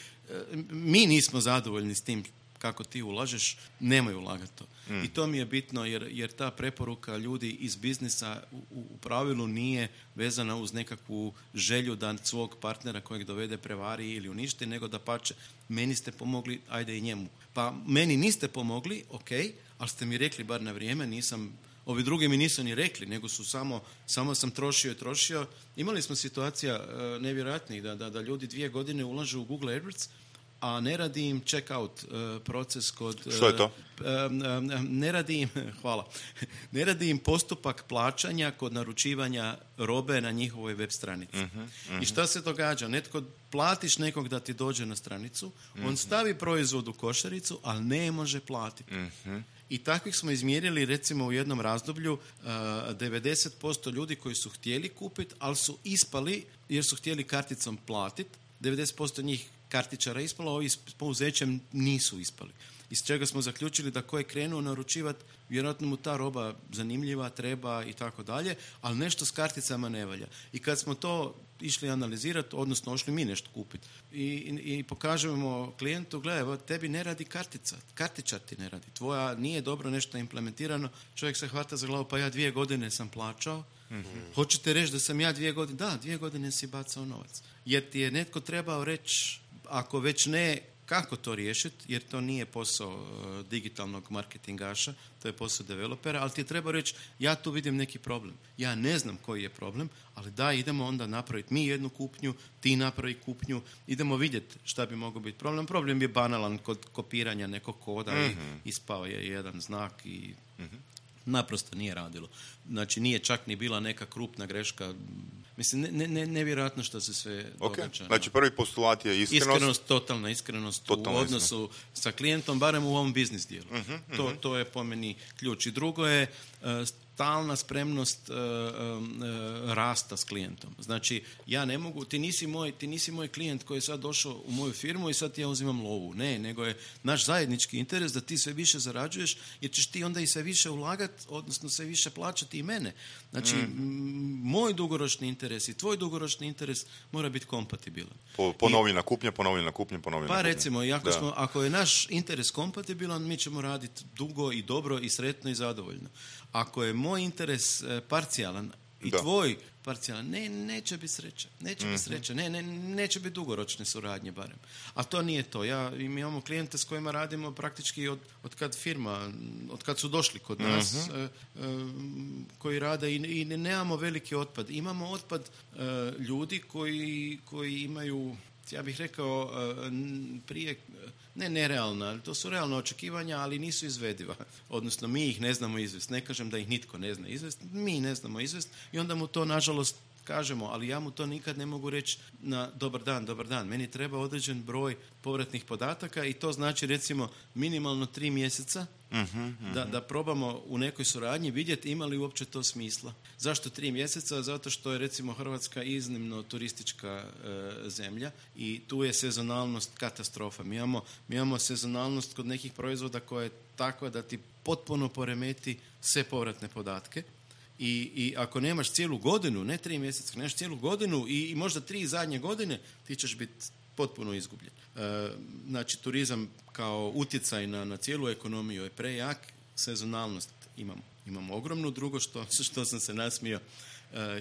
mi nismo zadovoljni s tim kako ti ulažeš, nemoj ulagati to. I to mi je bitno, jer ta preporuka ljudi iz biznisa u pravilu nije vezana uz nekakvu želju da svog partnera kojeg dovede prevari ili uništi, nego da pače, meni ste pomogli, ajde i njemu. Pa meni niste pomogli, ok, ali ste mi rekli bar na vrijeme, ovi drugi mi nisu ni rekli, nego su samo sam trošio. Imali smo situacija nevjerojatnih da ljudi 2 godine ulažu u Google AdWords, a ne radi im check-out proces kod... Što je to? Ne radi im postupak plaćanja kod naručivanja robe na njihovoj web stranici. I šta se događa? Platiš nekog da ti dođe na stranicu, on stavi proizvod u košaricu, ali ne može platiti. I takvih smo izmjerili recimo u jednom razdoblju 90% ljudi koji su htjeli kupiti, ali su ispali jer su htjeli karticom platiti. 90% njih kartičara ispalo, a ovi s pouzećem nisu ispali. Iz čega smo zaključili da ko je krenuo naručivati, vjerojatno mu ta roba zanimljiva, treba i tako dalje, ali nešto s karticama ne valja. I kad smo to išli analizirati, odnosno ošli mi nešto kupiti i pokažemo klijentu, gledaj, tebi ne radi kartica, kartičar ti ne radi, tvoja nije dobro nešto implementirano, čovjek se hvata za glavu, pa ja 2 godine sam plaćao, hoćete reći da sam ja 2 godine, da, 2 godine si bacao novac. Jer ti je netko trebao reći, ako već ne, kako to riješiti, jer to nije posao digitalnog marketingaša, to je posao developera, ali ti je treba reći, ja tu vidim neki problem. Ja ne znam koji je problem, ali da, idemo onda napraviti mi jednu kupnju, ti napravi kupnju, idemo vidjeti šta bi mogao biti problem. Problem je banalan kod kopiranja nekog koda i ispao je jedan znak i naprosto nije radilo. Znači, nije čak ni bila neka krupna greška. Mislim, nevjerojatno što se sve događa. Znači, prvi postulat je iskrenost. Totalna iskrenost u odnosu sa klijentom, barem u ovom biznis dijelu. To je po meni ključ. I drugo je stalna spremnost rasta s klijentom. Znači, ja ne mogu, ti nisi moj klijent koji je sad došao u moju firmu i sad ja uzimam lovu. Ne, nego je naš zajednički interes da ti sve više zarađuješ, jer ćeš ti onda i sve više ulagati, odnosno sve više plaćati i mene. Znači, moj dugoročni interes i tvoj dugoročni interes mora biti kompatibilan. Ponovljena kupnja. Pa recimo, ako je naš interes kompatibilan, mi ćemo raditi dugo i dobro i sretno i zadovoljno. Ako je moj interes parcijalan i tvoj parcijalan, neće biti sreće. Neće biti dugoročne suradnje barem. A to nije to. Mi imamo klijente s kojima radimo praktički od kad su došli kod nas, koji rade i nemamo veliki otpad. Imamo otpad ljudi koji imaju, ja bih rekao, prije nerealna, to su realna očekivanja, ali nisu izvediva. Odnosno, mi ih ne znamo izvesti. Ne kažem da ih nitko ne zna izvesti, mi ne znamo izvesti i onda mu to, nažalost, kažemo, ali ja mu to nikad ne mogu reći na dobar dan. Meni treba određen broj povratnih podataka i to znači, recimo, minimalno 3 mjeseca da probamo u nekoj suradnji vidjeti ima li uopće to smisla. Zašto 3 mjeseca? Zato što je, recimo, Hrvatska iznimno turistička zemlja i tu je sezonalnost katastrofa. Mi imamo sezonalnost kod nekih proizvoda koja je takva da ti potpuno poremeti sve povratne podatke. I ako nemaš cijelu godinu, ne 3 mjeseca, nemaš cijelu godinu i možda 3 zadnje godine, ti ćeš biti potpuno izgubljen. Znači, turizam kao utjecaj na cijelu ekonomiju je prejak, sezonalnost imamo ogromnu. Drugo što sam se nasmio,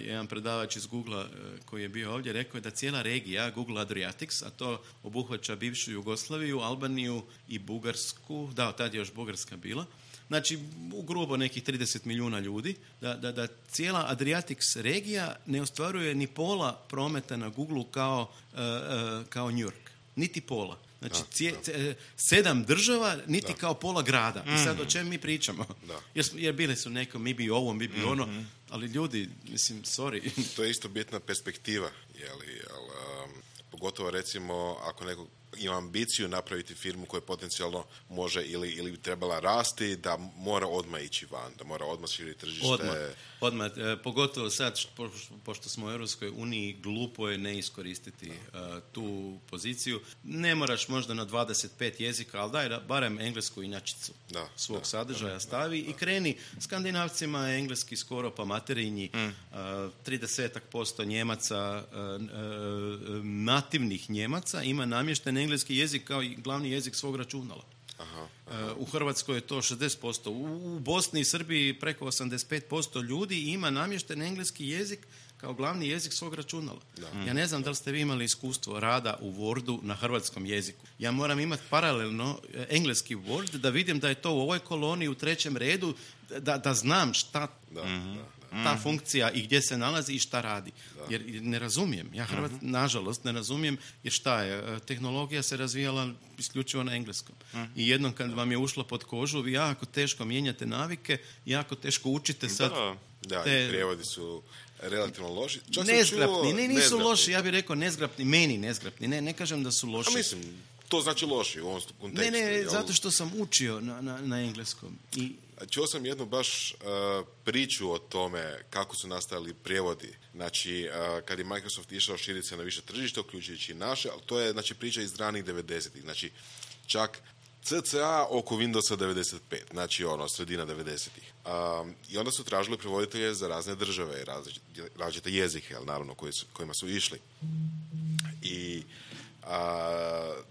jedan predavač iz Google koji je bio ovdje rekao je da cijela regija Google Adriatics, a to obuhvaća bivšu Jugoslaviju, Albaniju i Bugarsku, da, tad je još Bugarska bila, znači u grubo nekih 30 milijuna ljudi, da cijela Adriatics regija ne ostvaruje ni pola prometa na Google kao New York. Niti pola. Znači, 7 država, niti kao pola grada. I sad o čem mi pričamo? Jer bili su neko, mi bi ovo, mi bi ono, ali ljudi, mislim, sorry. To je isto bitna perspektiva, pogotovo, recimo, ako neko ima ambiciju napraviti firmu koja potencijalno može ili bi trebala rasti, da mora odmah ići van, da mora odmah širiti tržište. Odmah. Pogotovo sad, pošto smo u Europskoj uniji, glupo je ne iskoristiti tu poziciju. Ne moraš možda na 25 jezika, ali daj barem englesku inačicu svog sadržaja stavi i kreni. Skandinavcima je engleski skoro pa materinji, 30% Njemaca, nativnih Njemaca ima namješten engleski jezik kao i glavni jezik svog računala. U Hrvatskoj je to 60%. U Bosni i Srbiji preko 85% ljudi ima namješten engleski jezik kao glavni jezik svog računala. Ja ne znam da li ste vi imali iskustvo rada u Wordu na hrvatskom jeziku. Ja moram imati paralelno engleski Word da vidim da je to u ovoj koloni u 3. redu, da znam šta. ta funkcija i gdje se nalazi i šta radi. Jer ne razumijem. Ja nažalost ne razumijem, jer šta je? Tehnologija se razvijala isključivo na engleskom. I jednom kad vam je ušlo pod kožu, vi jako teško mijenjate navike, jako teško učite sad. Da, i prijevodi su relativno loši. Nezgrapni, nisu loši, ja bih rekao nezgrapni, meni nezgrapni. Ne kažem da su loši. A mislim, to znači loši u ovom kontekstu. Ne, zato što sam učio na engleskom. Čuo sam jednu baš priču o tome kako su nastajali prijevodi. Znači, kad je Microsoft išao širiti se na više tržišta, uključujući i naše, ali to je znači, priča iz ranih 90-ih. Znači, čak CCA oko Windowsa 95, znači sredina 90-ih. I onda su tražili prevoditelje za razne države, različite jezike, naravno, kojima su išli. I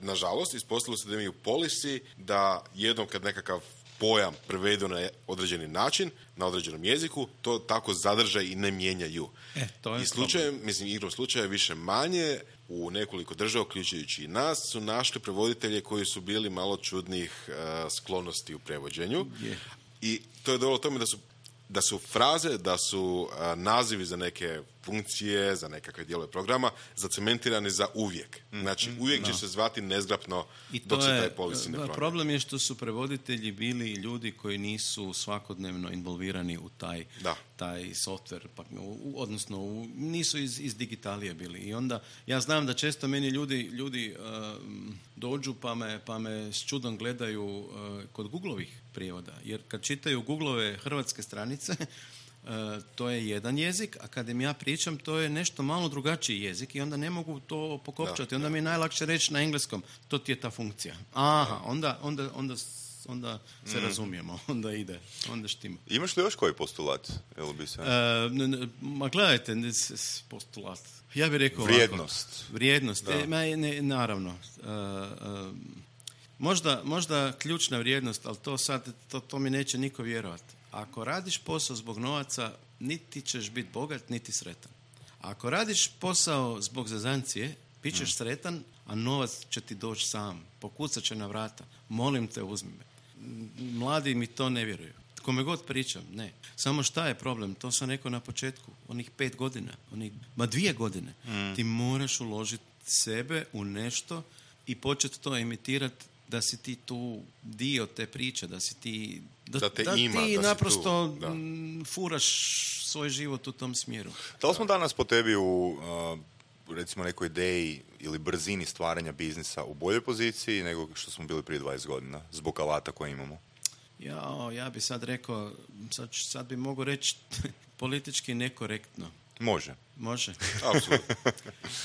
nažalost, ispostavilo se da imaju policy da jednom kad nekakav pojam prevedu na određeni način, na određenom jeziku, to tako zadrže i ne mijenjaju. To je igrom slučaja više manje u nekoliko država, uključujući i nas, su našli prevoditelje koji su bili malo čudnih sklonosti u prevođenju. I to je dovelo tome da su fraze, da su nazivi za neke funkcije, za nekakve dijelove programa zacementirani za uvijek. Znači, uvijek će se zvati nezgrapno dok se taj policy ne promijeni. Problem je što su prevoditelji bili ljudi koji nisu svakodnevno involvirani u taj software, odnosno nisu iz digitalije bili. I onda, ja znam da često meni ljudi dođu pa me s čudom gledaju kod Googlovih prijevoda. Jer kad čitaju Googlove hrvatske stranice, to je jedan jezik, a kad im ja pričam, to je nešto malo drugačiji jezik i onda ne mogu to pokopčati. Onda mi je najlakše reći na engleskom, to ti je ta funkcija. Aha, onda se razumijemo, onda ide, onda štima. Imaš li još koji postulat? Ma gledajte, postulat. Ja bih rekao Vrijednost. Naravno. Možda ključna vrijednost, ali to mi neće niko vjerovati. Ako radiš posao zbog novaca, niti ćeš biti bogat, niti sretan. Ako radiš posao zbog zezancije, bit ćeš sretan, a novac će ti doći sam. Pokucat će na vrata. Molim te, uzmi me. Mladi mi to ne vjeruju. Kome god pričam, ne. Samo šta je problem? To sam rekao na početku. Onih 5 godina, 2 godine. Ti moraš uložiti sebe u nešto i početi to imitirati da si ti tu dio te priče, da si ti da ti naprosto furaš svoj život u tom smjeru. Da li smo danas po tebi u recimo nekoj ideji ili brzini stvaranja biznisa u boljoj poziciji nego što smo bili prije 20 godina zbog alata koje imamo? Ja bi sad rekao, sad bi mogao reći politički nekorektno. Može. Apsolutno.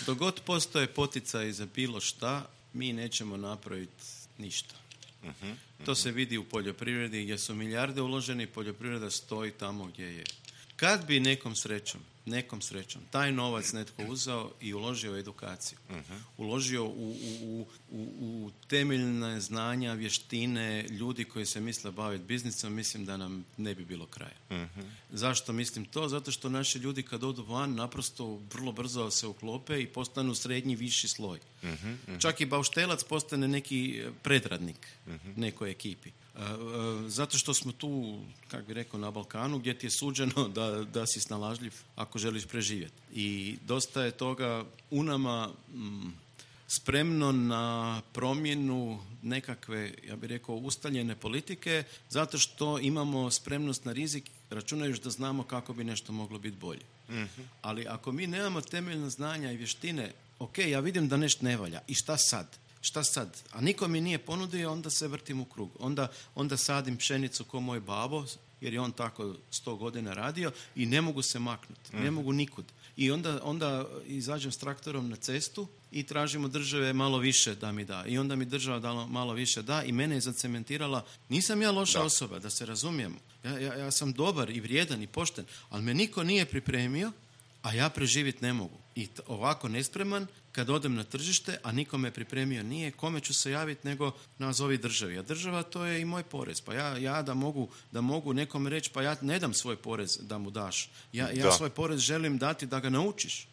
Dok god postoje poticaj za bilo šta, mi nećemo napraviti ništa. To se vidi u poljoprivredi gdje su milijarde uloženi, poljoprivreda stoji tamo gdje je. Kad bi nekom srećom taj novac netko uzeo i uložio u edukaciju, uložio u temeljne znanja, vještine ljudi koji se misle baviti biznisom, mislim da nam ne bi bilo kraja. Zašto mislim to? Zato što naši ljudi kad odu van naprosto vrlo brzo se uklope i postanu srednji, viši sloj. Čak i bauštelac postane neki predradnik nekoj ekipi. Zato što smo tu, kako bi rekao, na Balkanu gdje ti je suđeno da si snalažljiv ako želiš preživjeti. I dosta je toga u nama spremno na promjenu nekakve, ja bih rekao, ustaljene politike, zato što imamo spremnost na rizik, računajući da znamo kako bi nešto moglo biti bolje. Ali ako mi nemamo temeljna znanja i vještine, ok, ja vidim da nešto ne valja, i šta sad? A niko mi nije ponudio, onda se vrtim u krug. Onda sadim pšenicu ko moj babo, jer je on tako 100 godina radio i ne mogu se maknuti, ne mogu nikud. I onda izađem s traktorom na cestu i tražim od države malo više da mi da. I onda mi država malo više da i mene je zacementirala. Nisam ja loša osoba, da se razumijemo. Ja sam dobar i vrijedan i pošten, ali me niko nije pripremio, a ja preživjeti ne mogu. I ovako nespreman, kad odem na tržište, a niko me pripremio nije, kome ću se javiti nego nazovi državi. A država, to je i moj porez. Pa ja da mogu nekom reći, pa ja ne dam svoj porez da mu daš. Ja svoj porez želim dati da ga naučiš.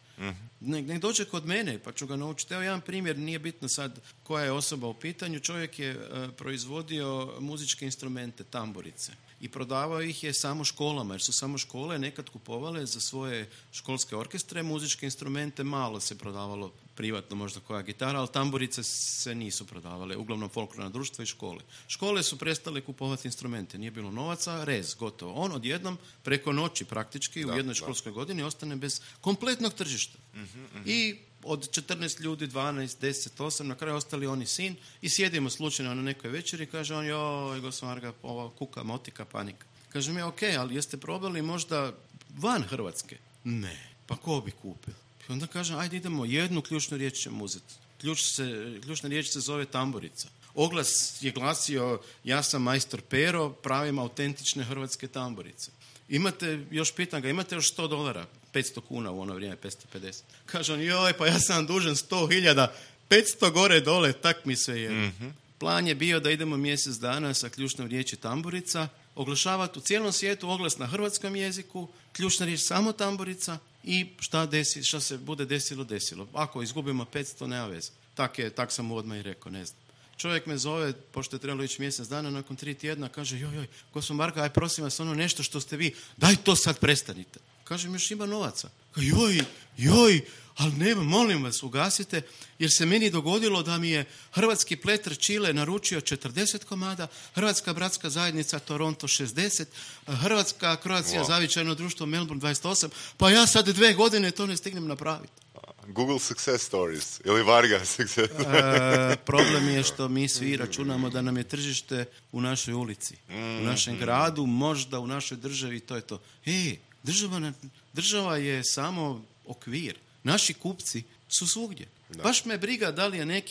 Nek dođe kod mene pa ću ga naučiti. Evo jedan primjer, nije bitno sad koja je osoba u pitanju. Čovjek je proizvodio muzičke instrumente, tamburice. i prodavao ih je samo školama, jer su samo škole nekad kupovale za svoje školske orkestre muzičke instrumente, malo se prodavalo privatno, možda koja gitara, ali tamburice se nisu prodavale, uglavnom folklorna društva i škole. Škole su prestale kupovati instrumente, nije bilo novaca, rez, gotovo. On odjednom, preko noći praktički, u jednoj školskoj godini ostane bez kompletnog tržišta. I od 14 ljudi, 12, 10, 8, na kraju ostali oni sin i sjedimo slučajno na nekoj večeri i kaže on, joj, gospodin Varga, ova kuka, motika, panika. Kažem ja, ok, ali jeste probali možda van Hrvatske? Ne, pa ko bi kupio? I onda kažem, ajde idemo, jednu ključnu riječ ćemo uzeti. Ključna riječ se zove tamburica. Oglas je glasio, ja sam majstor Pero, pravim autentične hrvatske tamburice. Pitam ga, imate još $100? 500 kuna u ono vrijeme, 550. Kaže on, joj, pa ja sam dužan 100.000, 500 gore dole, tak mi sve je. Plan je bio da idemo mjesec dana sa ključnom riječi tamburica, oglašavati u cijelom svijetu oglas na hrvatskom jeziku, ključna riječ samo tamburica i šta se bude desilo. Ako izgubimo 500, nema veze. Tak sam mu odmah i rekao, ne znam. Čovjek me zove, pošto je trebalo ići mjesec dana, nakon 3 tjedna, kaže, joj, gospodin Marko, aj prosim vas, ono nešto što ste vi, daj to sad prestanite. Kažem, još ima novaca. Joj, ali nema, molim vas, ugasite, jer se meni dogodilo da mi je hrvatski pleter Čile naručio 40 komada, Hrvatska bratska zajednica Toronto 60, Hrvatska Croatia zavičajno društvo Melbourne 28, pa ja sad 2 godine to ne stignem napraviti. Google success stories ili Varga success. Problem je što mi svi računamo da nam je tržište u našoj ulici, u našem gradu, možda u našoj državi, to je to. Država je samo okvir. Naši kupci su svugdje. Da. Baš me briga da li je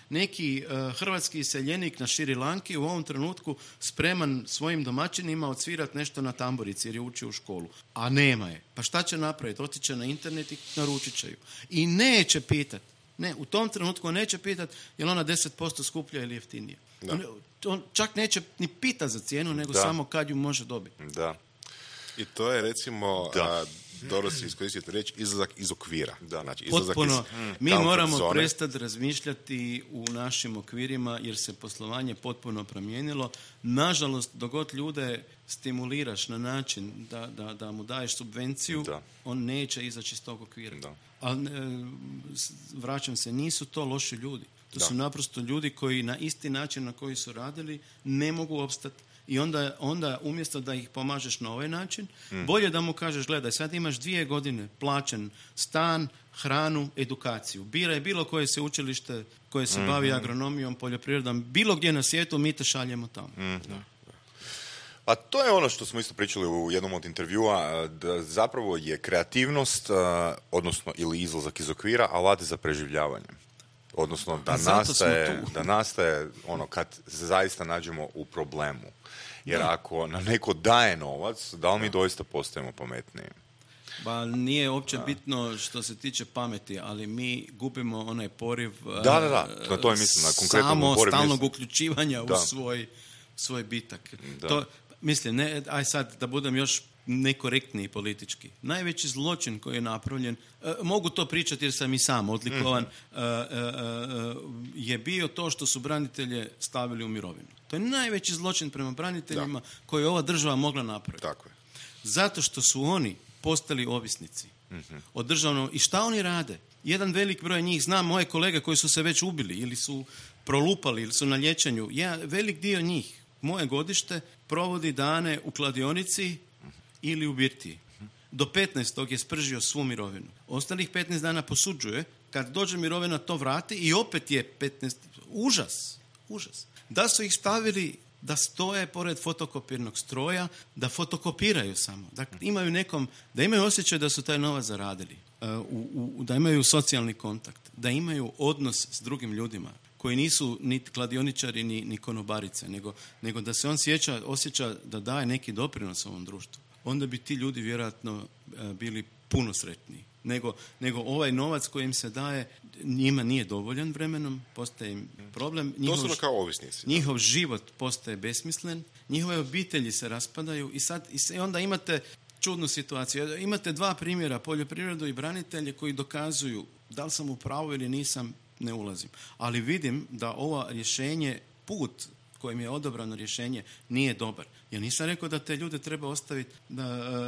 neki hrvatski iseljenik na Šri Lanki u ovom trenutku spreman svojim domaćinima odsvirati nešto na tamburici jer je učio u školu. A nema je. Pa šta će napraviti? Otiće na internet i naručit će ju. I neće pitati. Ne, u tom trenutku neće pitati je li ona 10% skuplja ili jeftinija. On čak neće ni pitati za cijenu, nego samo kad ju može dobiti. Da. I to je recimo... dobro si iskoristiti reći, izlazak iz okvira. Znači, potpuno. Mi moramo prestati razmišljati u našim okvirima jer se poslovanje potpuno promijenilo. Nažalost, dogod ljude stimuliraš na način da mu daješ subvenciju, on neće izaći iz tog okvira. Ali vraćam se, nisu to loši ljudi. To su naprosto ljudi koji na isti način na koji su radili ne mogu opstati. I onda umjesto da ih pomažeš na ovaj način, bolje da mu kažeš, gledaj, sad imaš 2 godine plaćen stan, hranu, edukaciju. Biraj bilo koje se učilište koje se bavi agronomijom, poljoprivredom, bilo gdje na svijetu, mi te šaljemo tamo. A to je ono što smo isto pričali u jednom od intervjua, da zapravo je kreativnost, odnosno ili izlazak iz okvira, alat za preživljavanje. Odnosno da nastaje ono kad se zaista nađemo u problemu. Jer ako nam neko daje novac, da li mi doista postajemo pametniji? Ba, nije uopće bitno što se tiče pameti, ali mi gubimo onaj poriv na to je mislim, na konkretnom poriv stalnog uključivanja u svoj bitak. To, mislim, aj sad da budem još nekorektniji politički. Najveći zločin koji je napravljen, mogu to pričati jer sam i sam odlikovan, je bio to što su branitelje stavili u mirovinu. To je najveći zločin prema braniteljima koji je ova država mogla napraviti. Tako je. Zato što su oni postali ovisnici od državnog. I šta oni rade? Jedan velik broj njih, znam moje kolege koji su se već ubili ili su prolupali ili su na liječenju. Velik dio njih, moje godište, provodi dane u kladionici ili u birtiji. Do 15. je spržio svu mirovinu. Ostalih 15 dana posuđuje, kad dođe mirovina to vrati i opet je 15... Užas. Da su ih stavili da stoje pored fotokopirnog stroja, da fotokopiraju samo. Da imaju osjećaj da su taj novac zaradili. Da imaju socijalni kontakt. Da imaju odnos s drugim ljudima koji nisu ni kladioničari ni konobarice, nego da se on osjeća da daje neki doprinos ovom društvu. Onda bi ti ljudi vjerojatno bili puno sretniji. Nego ovaj novac koji im se daje njima nije dovoljan vremenom, postaje im problem. Doslovno kao ovisnici. Njihov život postaje besmislen, njihove obitelji se raspadaju i onda imate čudnu situaciju. Imate 2 primjera, poljoprivredu i branitelje koji dokazuju da li sam u pravu ili nisam, ne ulazim. Ali vidim da ovo rješenje, put kojim je odabrano rješenje nije dobar. Ja nisam rekao da te ljude treba ostaviti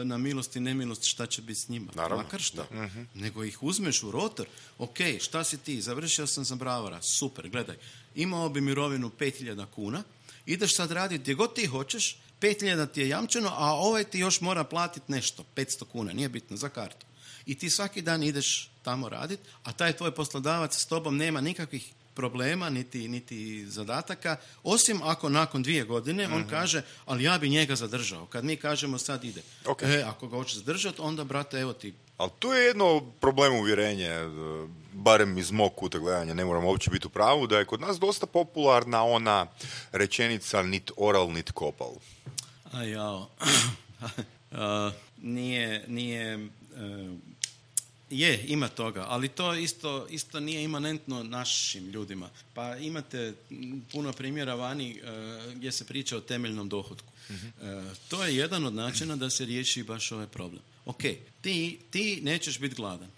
na milost i nemilost šta će biti s njima. Naravno, makar šta. Nego ih uzmeš u rotor. Ok, šta si ti? Završio sam za bravara. Super, gledaj. Imao bi mirovinu 5.000 kuna. Ideš sad raditi gdje god ti hoćeš. 5.000 ti je jamčeno, a ovaj ti još mora platiti nešto. 500 kuna, nije bitno, za kartu. I ti svaki dan ideš tamo raditi, a taj tvoj poslodavac s tobom nema nikakvih problema, niti zadataka, osim ako nakon 2 godine on kaže, ali ja bi njega zadržao. Kad mi kažemo sad ide. Okay. Ako ga hoćeš zadržati, onda, brate, evo ti. Ali tu je jedno problem uvjerenje, barem iz mog kuta gledanja, ne moram uopće biti u pravu, da je kod nas dosta popularna ona rečenica nit oral, nit kopal. A jao. Je, ima toga, ali to isto nije imanentno našim ljudima. Pa imate puno primjera vani gdje se priča o temeljnom dohotku. To je jedan od načina da se riješi baš ovaj problem. Ok, ti nećeš biti gladan.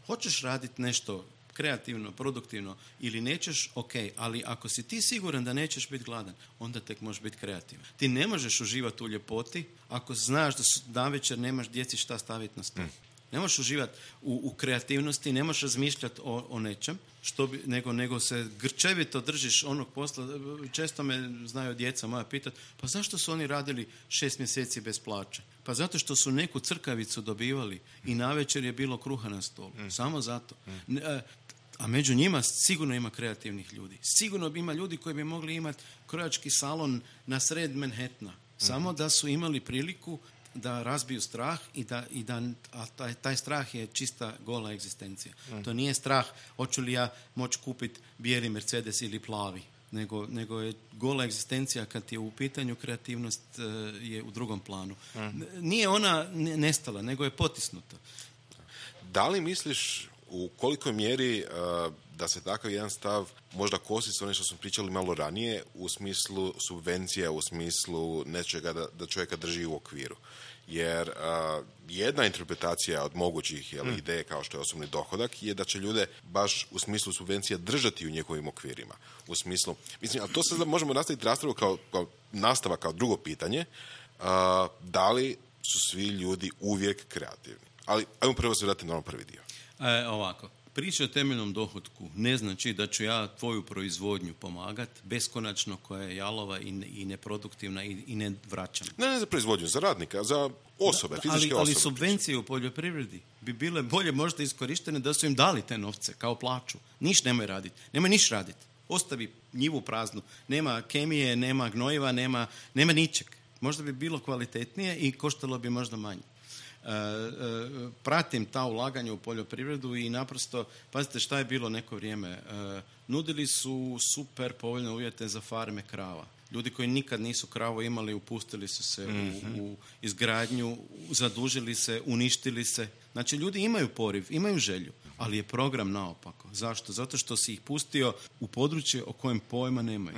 Hoćeš raditi nešto kreativno, produktivno ili nećeš, ok, ali ako si ti siguran da nećeš biti gladan, onda tek možeš biti kreativan. Ti ne možeš uživati u ljepoti ako znaš da navečer nemaš djeci šta staviti na stol. Ne možeš uživati u kreativnosti, ne možeš razmišljati o nečem, nego se grčevito držiš onog posla. Često me znaju djeca moja pitati, pa zašto su oni radili 6 mjeseci bez plaće? Pa zato što su neku crkavicu dobivali i navečer je bilo kruha na stolu. Samo zato. A među njima sigurno ima kreativnih ljudi. Sigurno ima ljudi koji bi mogli imati krojački salon na sred Manhattana. Samo da su imali priliku da razbiju strah a taj strah je čista gola egzistencija. To nije strah hoću li ja moći kupiti bijeli Mercedes ili plavi, nego je gola egzistencija kad je u pitanju kreativnost je u drugom planu. Nije ona nestala, nego je potisnuta. Da li misliš u kolikoj mjeri da se takav jedan stav možda kosi s onim što smo pričali malo ranije u smislu subvencija, u smislu nečega da čovjeka drži u okviru? Jer jedna interpretacija od mogućih ideje kao što je osobni dohodak je da će ljude baš u smislu subvencija držati u njihovim okvirima. U smislu, mislim, ali to sad možemo nastaviti raspravu kao nastavak, kao drugo pitanje, da li su svi ljudi uvijek kreativni? Ali ajmo prvo se vratiti na ono prvi dio. Ovako, priča o temeljnom dohotku ne znači da ću ja tvoju proizvodnju pomagati beskonačno koja je jalova i neproduktivna i ne vraćam. Ne za proizvodnju, za radnika, za osobe, fizičke osobe. Ali subvencije u poljoprivredi bi bile bolje možda iskorištene da su im dali te novce kao plaću. Niš nemoj raditi. Nemoj niš raditi. Ostavi njivu praznu. Nema kemije, nema gnojiva, nema ničeg. Možda bi bilo kvalitetnije i koštalo bi možda manje. Pratim ta ulaganja u poljoprivredu i naprosto, pazite šta je bilo neko vrijeme, nudili su super povoljne uvjete za farme krava. Ljudi koji nikad nisu kravu imali, upustili su se u izgradnju, zadužili se, uništili se. Znači, ljudi imaju poriv, imaju želju, ali je program naopako. Zašto? Zato što si ih pustio u područje o kojem pojma nemaju.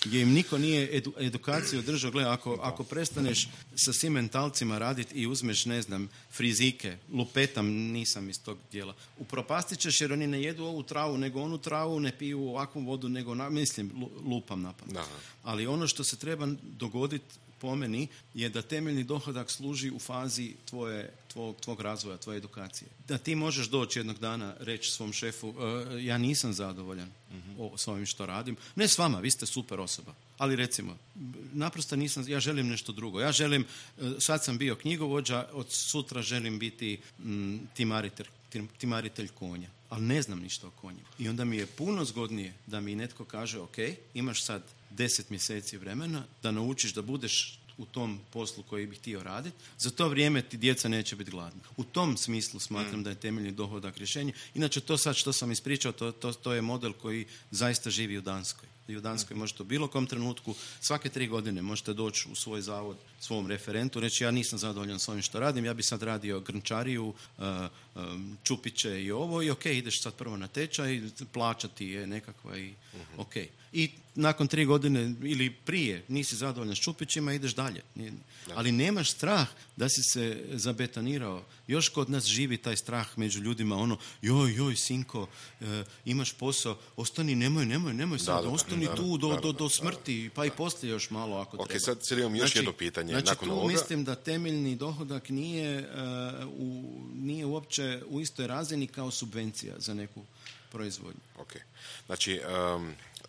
Gdje im niko nije edukaciju održao. Gle, ako prestaneš sa svim mentalcima raditi i uzmeš, ne znam, frizike, lupetam, nisam iz tog dijela, upropastit ćeš jer oni ne jedu ovu travu, nego onu travu, ne piju ovakvu vodu, nego, lupam napamet. Ali ono što se treba dogoditi po meni je da temeljni dohodak služi u fazi tvog razvoja, tvoje edukacije. Da ti možeš doći jednog dana reći svom šefu ja nisam zadovoljan s ovim što radim. Ne s vama, vi ste super osoba. Ali recimo, naprosto nisam, ja želim nešto drugo. Ja želim, sad sam bio knjigovođa, od sutra želim biti timaritelj konja. Ali ne znam ništa o konjima. I onda mi je puno zgodnije da mi netko kaže ok, imaš sad 10 mjeseci vremena da naučiš da budeš u tom poslu koji bih htio raditi, za to vrijeme ti djeca neće biti gladna. U tom smislu smatram da je temeljni dohodak rješenje. Inače, to sad što sam ispričao, to je model koji zaista živi u Danskoj. I u Danskoj možete u bilo kom trenutku, svake 3 godine možete doći u svoj zavod, svom referentu, reći ja nisam zadovoljan s ovim što radim, ja bi sad radio grnčariju, čupiće i ovo, i ok, ideš sad prvo na tečaj, plaćati je nekakva i ok. I nakon 3 godine ili prije nisi zadovoljan s čupićima, ideš dalje. Ali nemaš strah da si se zabetonirao. Još kod nas živi taj strah među ljudima, ono, joj, sinko, imaš posao, ostani, nemoj sad, ostani oni tu do smrti, pa i poslije još malo ako treba. Ok, sad imam još jedno pitanje. Znači nakon tu ovoga. mislim da temeljni dohodak nije uopće u istoj razini kao subvencija za neku proizvodnju. Ok, znači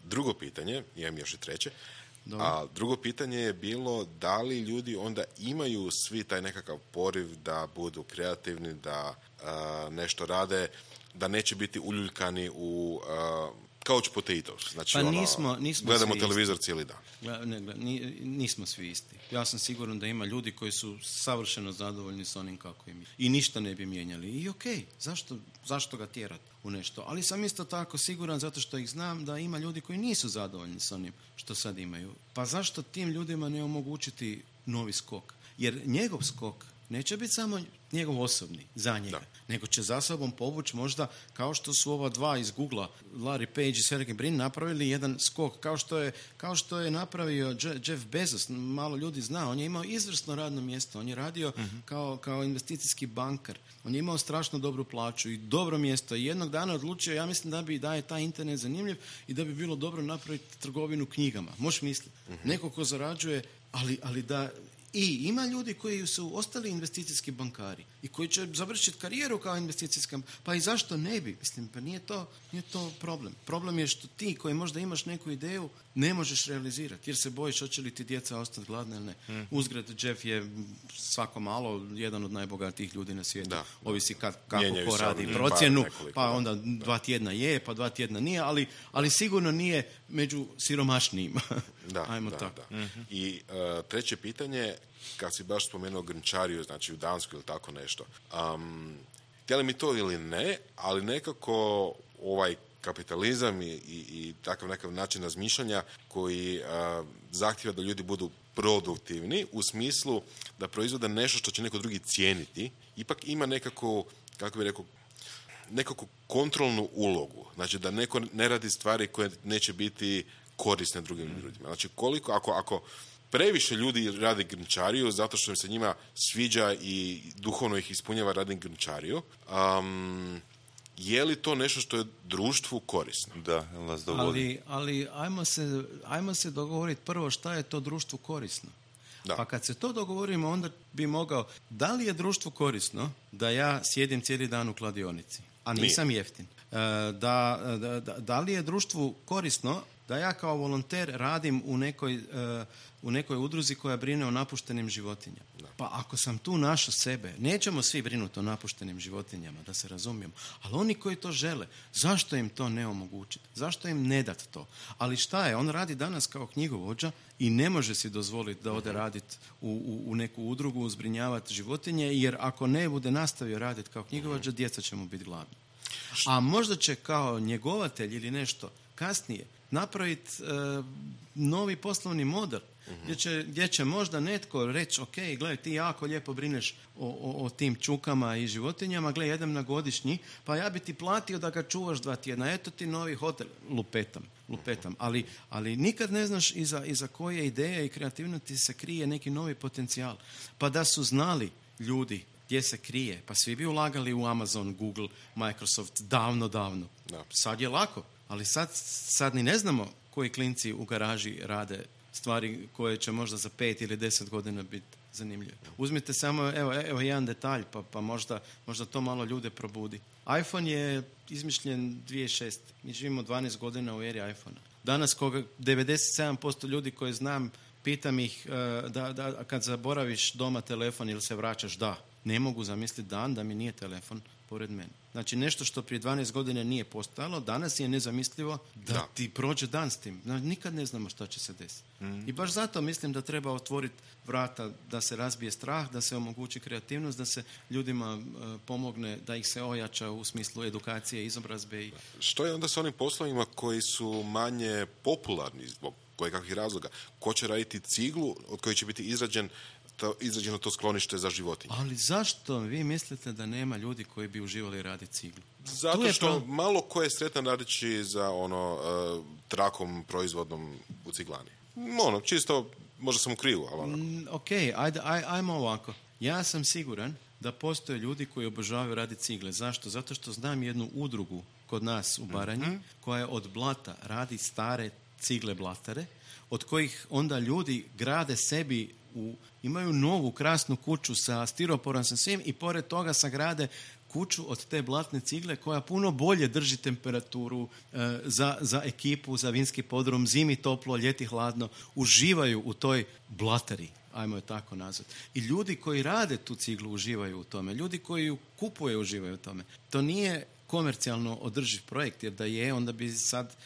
drugo pitanje, imam još i treće, Dobro. a drugo pitanje je bilo da li ljudi onda imaju svi taj nekakav poriv da budu kreativni, da nešto rade, da neće biti uljuljkani u couch potatoes. Znači, Pa nismo gledamo svi televizor cijeli dan. Nismo svi isti. Ja sam siguran da ima ljudi koji su savršeno zadovoljni s onim kako im je. I ništa ne bi mijenjali. I okej, zašto ga tjerati u nešto? Ali sam isto tako siguran, zato što ih znam, da ima ljudi koji nisu zadovoljni s onim što sad imaju. Pa zašto tim ljudima ne omogućiti novi skok? Jer njegov skok neće biti samo njegov osobni, za njega, nego će za sobom povući možda, kao što su ova dva iz Google-a, Larry Page i Sergey Brin, napravili jedan skok, kao što je napravio Jeff Bezos, malo ljudi zna, on je imao izvrsno radno mjesto, on je radio kao investicijski bankar, on je imao strašno dobru plaću i dobro mjesto i jednog dana odlučio, ja mislim da je taj internet zanimljiv i da bi bilo dobro napraviti trgovinu knjigama. Možeš misliti, neko ko zarađuje, ali da... I ima ljudi koji su ostali investicijski bankari i koji će završiti karijeru kao investicijska, pa i zašto ne bi? Mislim, pa nije to problem. Problem je što ti koji možda imaš neku ideju ne možeš realizirati jer se bojiš hoće li ti djeca ostati gladne ili ne. Uzgled, Jeff je svako malo jedan od najbogatijih ljudi na svijetu. Ovisi kako ko radi procjenu, pa onda 2 tjedna je, pa 2 tjedna nije, ali sigurno nije među siromašnijima. Ajmo tako. I treće pitanje, kad si baš spomenuo grnčariju, znači u Dansku ili tako nešto, htjeli mi to ili ne, ali nekako ovaj kapitalizam i takav nekakav način razmišljanja koji zahtjeva da ljudi budu produktivni u smislu da proizvode nešto što će neko drugi cijeniti, ipak ima nekako, kako bi rekao, nekakvu kontrolnu ulogu. Znači da neko ne radi stvari koje neće biti korisne drugim ljudima. Znači koliko, ako previše ljudi radi grnčariju zato što im se njima sviđa i duhovno ih ispunjava radi grnčariju, je li to nešto što je društvu korisno? Da, nas dogodi. Ali ajmo se dogovoriti prvo šta je to društvu korisno. Da. Pa kad se to dogovorimo, onda bi mogao, da li je društvu korisno da ja sjedim cijeli dan u kladionici, a nisam jeftin? Da li je društvu korisno da ja kao volonter radim u nekoj udruzi koja brine o napuštenim životinjama? Pa ako sam tu našao sebe, nećemo svi brinuti o napuštenim životinjama, da se razumijemo, ali oni koji to žele, zašto im to ne omogućiti? Zašto im ne dati to? Ali šta je? On radi danas kao knjigovođa i ne može si dozvoliti da ode raditi u neku udrugu, zbrinjavati životinje, jer ako ne bude nastavio raditi kao knjigovođa, djeca će mu biti gladna. A možda će kao njegovatelj ili nešto kasnije napraviti novi poslovni model gdje će možda netko reći ok, gledaj, ti jako lijepo brineš o tim čukama i životinjama, gledaj, jedem na godišnji, pa ja bi ti platio da ga čuvaš 2 tjedna, eto ti novi hotel, lupetam. Ali nikad ne znaš iza koje ideje i kreativnosti se krije neki novi potencijal. Pa da su znali ljudi gdje se krije, pa svi bi ulagali u Amazon, Google, Microsoft davno. Da. Sad je lako, ali sad ni ne znamo koji klinci u garaži rade stvari koje će možda za 5 ili 10 godina biti zanimljive. Uzmite samo evo jedan detalj, pa možda to malo ljude probudi. iPhone je izmišljen 2006. Mi živimo 12 godina u eri iPhone-a. Danas 97% ljudi koje znam, pitam ih da kad zaboraviš doma telefon ili se vraćaš, ne mogu zamisliti dan da mi nije telefon pored mene. Znači nešto što prije 12 godina nije postojalo, danas je nezamislivo da ti prođe dan s tim. Nikad ne znamo šta će se desiti. I baš zato mislim da treba otvoriti vrata, da se razbije strah, da se omogući kreativnost, da se ljudima pomogne, da ih se ojača u smislu edukacije, izobrazbe. Što je onda s onim poslovima koji su manje popularni zbog kojekakvih razloga? Ko će raditi ciglu od koje će biti izrađeno to sklonište za životinje? Ali zašto vi mislite da nema ljudi koji bi uživali raditi ciglu? Zato što malo ko je sretan radići za trakom proizvodnom u ciglani. Čisto, možda sam u krivu, ali Ok, ajmo ovako. Ja sam siguran da postoje ljudi koji obožavaju raditi cigle. Zašto? Zato što znam jednu udrugu kod nas u Baranji koja je od blata radi stare cigle blatare, od kojih onda ljudi grade sebi imaju novu krasnu kuću sa stiroporom sa svim i pored toga sagrade kuću od te blatne cigle koja puno bolje drži temperaturu za ekipu, za vinski podrum, zimi toplo, ljeti hladno, uživaju u toj blatari, ajmo je tako nazvati. I ljudi koji rade tu ciglu uživaju u tome, ljudi koji ju kupuju uživaju u tome. To nije komercijalno održiv projekt, jer da je, onda bi sad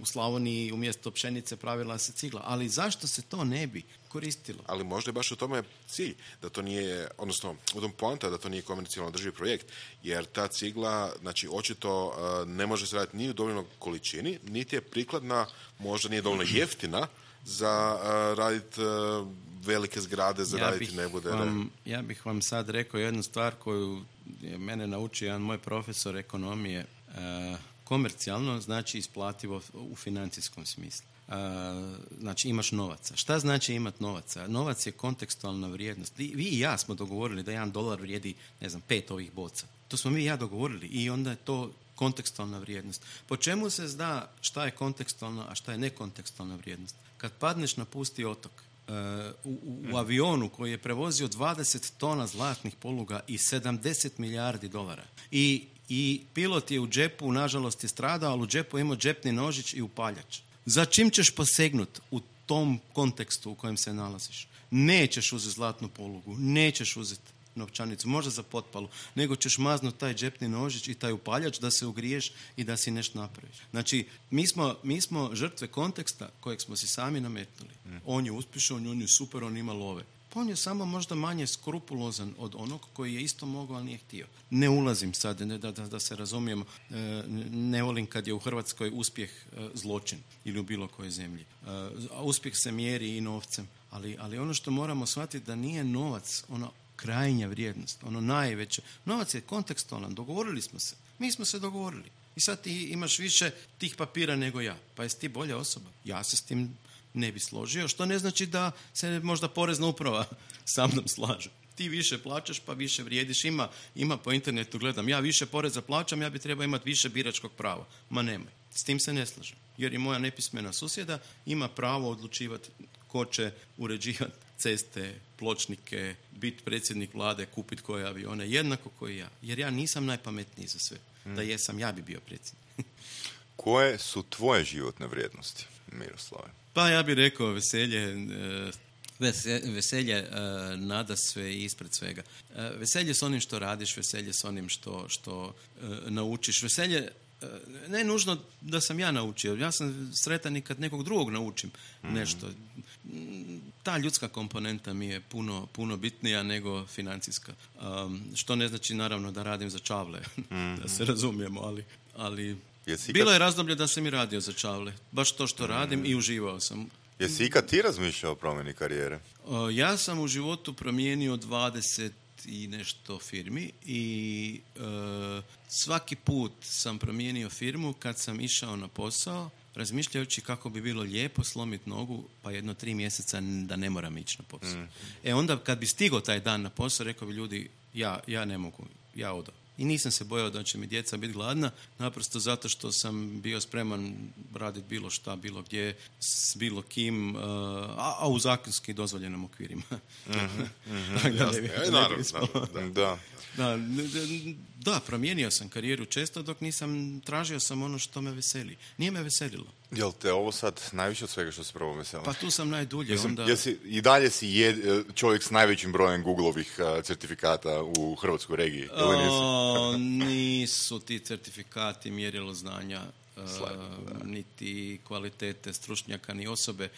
u Slavoniji umjesto pšenice pravila se cigla. Ali zašto se to ne bi koristilo? Ali možda je baš u tome cilj, da to nije, odnosno u tom poanta da to nije komercijalno održiv projekt, jer ta cigla, znači očito ne može se raditi ni u dovoljnoj količini, niti je prikladna, možda nije dovoljno jeftina za raditi velike zgrade, za raditi nebodere. Ja bih vam sad rekao jednu stvar koju je mene naučio jedan moj profesor ekonomije. Komercijalno znači isplativo u financijskom smislu. Znači imaš novaca. Šta znači imati novaca? Novac je kontekstualna vrijednost. Vi i ja smo dogovorili da $1 vrijedi, 5 ovih boca. To smo mi i ja dogovorili i onda je to kontekstualna vrijednost. Po čemu se zna šta je kontekstualna, a šta je nekontekstualna vrijednost? Kad padneš na pusti otok, u avionu koji je prevozio 20 tona zlatnih poluga i $70 milijardi i pilot je u džepu, nažalost je stradao, ali u džepu je imao džepni nožić i upaljač. Za čim ćeš posegnuti u tom kontekstu u kojem se nalaziš? Nećeš uzeti zlatnu polugu, nećeš uzeti novčanicu, možda za potpalu, nego ćeš maznuti taj džepni nožić i taj upaljač da se ugriješ i da si nešto napraviš. Znači, mi smo žrtve konteksta kojeg smo si sami nametnuli. On je uspješan, on je super, on ima love. Pa on je samo možda manje skrupulozan od onog koji je isto mogao, ali nije htio. Ne ulazim sad, da se razumijemo, ne volim kad je u Hrvatskoj uspjeh zločin ili u bilo kojoj zemlji. Uspjeh se mjeri i novcem, ali ono što moramo shvatiti da nije novac ono krajnja vrijednost, ono najveće. Novac je kontekstualan, dogovorili smo se. Mi smo se dogovorili. I sad ti imaš više tih papira nego ja. Pa jesi ti bolja osoba? Ja se s tim ne bi složio, što ne znači da se možda porezna uprava sa mnom slaže. Ti više plaćaš pa više vrijediš. Ima po internetu, gledam, ja više poreza plaćam, ja bi trebao imati više biračkog prava. Ma nemoj. S tim se ne slažem. Jer i moja nepismena susjeda ima pravo odlučivati ko će uređivati ceste, pločnike, biti predsjednik vlade, kupiti koje avione, jednako koji ja. Jer ja nisam najpametniji za sve. Da jesam, ja bi bio predsjednik. Koje su tvoje životne vrijednosti, Miroslave? Pa ja bih rekao veselje nada sve i ispred svega. Veselje s onim što radiš, veselje s onim što naučiš. Veselje ne nužno da sam ja naučio. Ja sam sretan i kad nekog drugog naučim nešto. Ta ljudska komponenta mi je puno bitnija nego financijska. Što ne znači naravno da radim za čavle, da se razumijemo, ali bilo je razdoblje da sam i radio za čavle. Baš to što radim i uživao sam. Jesi ikad ti razmišljao o promjeni karijere? Ja sam u životu promijenio 20 i nešto firmi i svaki put sam promijenio firmu kad sam išao na posao, razmišljajući kako bi bilo lijepo slomiti nogu pa 3 mjeseca da ne moram ići na posao. Onda kad bi stigao taj dan na posao, rekao bi ljudi, ja ne mogu, ja odam. I nisam se bojao da će mi djeca biti gladna, naprosto zato što sam bio spreman raditi bilo šta, bilo gdje, s bilo kim, a u zakonski dozvoljenom okvirima. Da, promijenio sam karijeru često dok nisam tražio sam ono što me veseli. Nije me veselilo. Jel te ovo sad najviše od svega što se prvo veseli? Pa tu sam najdulje. I dalje si čovjek s najvećim brojem Google-ovih certifikata u hrvatskoj regiji? Nisu ti certifikati mjerilo znanja, niti kvalitete stručnjaka, ni osobe.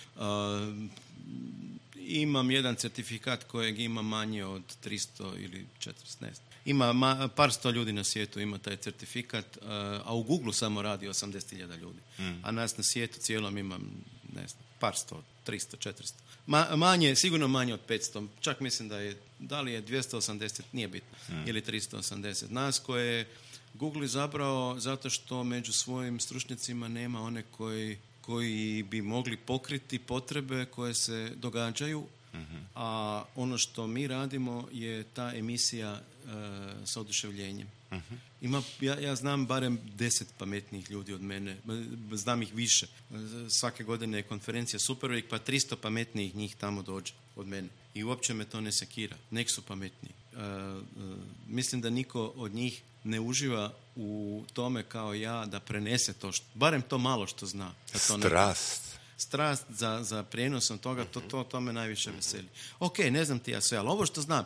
Imam jedan certifikat kojeg ima manje od 300 ili 400, ne znam. Ima par sto ljudi na svijetu ima taj certifikat, a u Google samo radi 80.000 ljudi. A nas na svijetu cijelom imam, ne znam, par sto, 300, 400. Sigurno manje od 500. Čak mislim da li je 280, nije bitno, ili 380. Nas koje Google izabrao zato što među svojim stručnjacima nema one koji bi mogli pokriti potrebe koje se događaju a ono što mi radimo je ta emisija sa oduševljenjem. Ja znam barem 10 pametnijih ljudi od mene, znam ih više. Svake godine je konferencija Superweek, pa 300 pametnijih njih tamo dođe od mene. I uopće me to ne sekira. Nek su pametniji. Mislim da niko od njih ne uživa u tome kao ja da prenese to, barem to malo što zna. Strast za prijenosom toga, to me najviše veseli. Ok, ne znam ti ja sve, ali ovo što znam,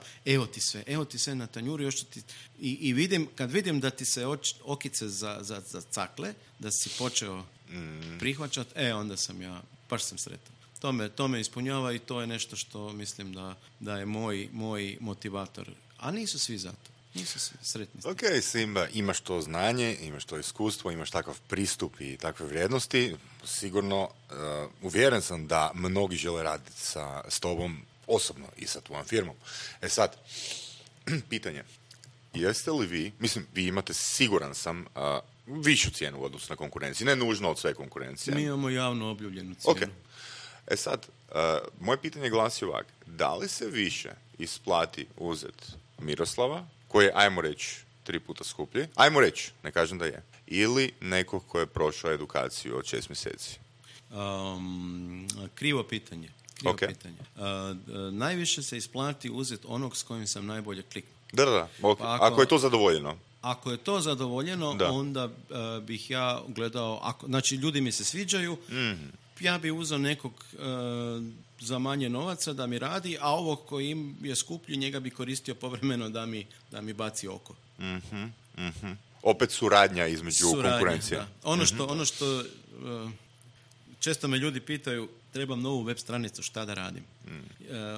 evo ti sve na tanjuru, još ti, i vidim, kad vidim da ti se okice za cakle, da si počeo prihvaćati, onda sam ja, baš sam sretan. To me ispunjava i to je nešto što mislim da je moj motivator. A nisu svi zato. Nisu svi sretni. Ok, Simba, imaš to znanje, imaš to iskustvo, imaš takav pristup i takve vrijednosti. Sigurno, uvjeren sam da mnogi žele raditi s tobom osobno i sa tvojom firmom. Sad, pitanje. Jeste li vi, vi imate, siguran sam, višu cijenu u odnosu na konkurenciju, ne nužno od sve konkurencije. Mi imamo javno objavljenu cijenu. Okay. Sad, moje pitanje glasi ovak. Da li se više isplati uzeti Miroslava, koji je, ajmo reći, 3 puta skuplji, ajmo reći, ne kažem da je, ili nekog koji je prošao edukaciju od 6 mjeseci? Krivo pitanje. Najviše se isplati uzeti onog s kojim sam najbolje kliknuo. Da. Okay. Pa ako je to zadovoljeno. Ako je to zadovoljeno, onda bih ja gledao, znači ljudi mi se sviđaju, ja bi uzeo nekog za manje novaca da mi radi, a ovog koji im je skuplji, njega bi koristio povremeno da mi baci oko. Opet suradnja između konkurencije. Da. Ono što često me ljudi pitaju, trebam novu web stranicu, šta da radim?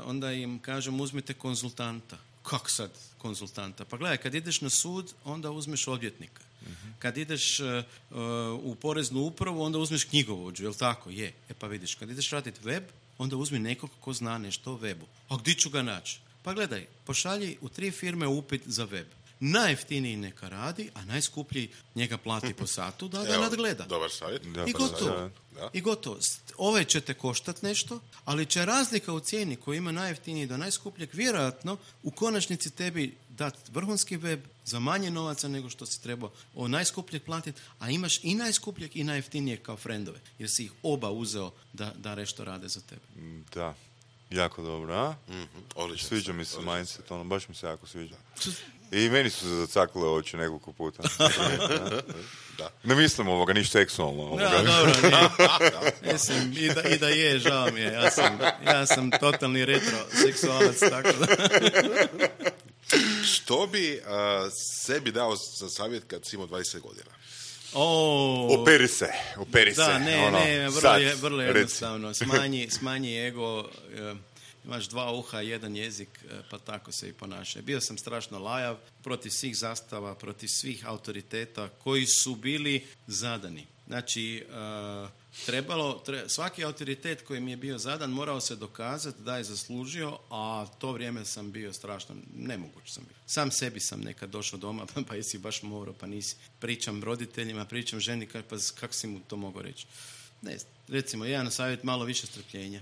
Onda im kažem, uzmite konzultanta. Kako sad konzultanta? Pa gledaj, kad ideš na sud, onda uzmeš odvjetnika. Kad ideš u poreznu upravu, onda uzmeš knjigovođu, jel tako? Je. Pa vidiš, kad ideš raditi web, onda uzmi nekog ko zna nešto o webu. A gdje ću ga naći? Pa gledaj, pošalji u 3 firme upit za web. Najjeftiniji neka radi, a najskuplji njega plati po satu da ga nadgleda. Dobar savjet. I gotovo. Ovaj će te koštati nešto, ali će razlika u cijeni koju ima najjeftiniji do najskupljeg vjerojatno u konačnici tebi dati vrhunski web za manje novaca nego što si trebao od najskupljeg platiti, a imaš i najskupljeg i najjeftinijeg kao frendove, jer si ih oba uzeo da nešto rade za tebe. Da. Jako dobro, a? Sviđa mi se mindset, baš mi se jako sviđa. I meni su se zacakle oči nekoliko puta. Da. Ne mislim ništa seksualno. Dobro, mislim, i da je, žao mi je. Ja sam totalni retroseksualac, tako da. Što bi sebi dao za savjet kad si imao 20 godina? Operi se. Da, vrlo jednostavno. Smanji ego, imaš 2 uha, 1 jezik, pa tako se i ponaša. Bio sam strašno lajav protiv svih zastava, protiv svih autoriteta koji su bili zadani. Znači, svaki autoritet koji mi je bio zadan morao se dokazati da je zaslužio, a to vrijeme sam bio strašno nemoguć sam bio. Sam sebi sam nekad došao doma, pa jesi baš morao, pa nisi. Pričam roditeljima, pričam ženi, pa kako si mu to mogao reći? Ne, recimo, jedan savjet, malo više strpljenja.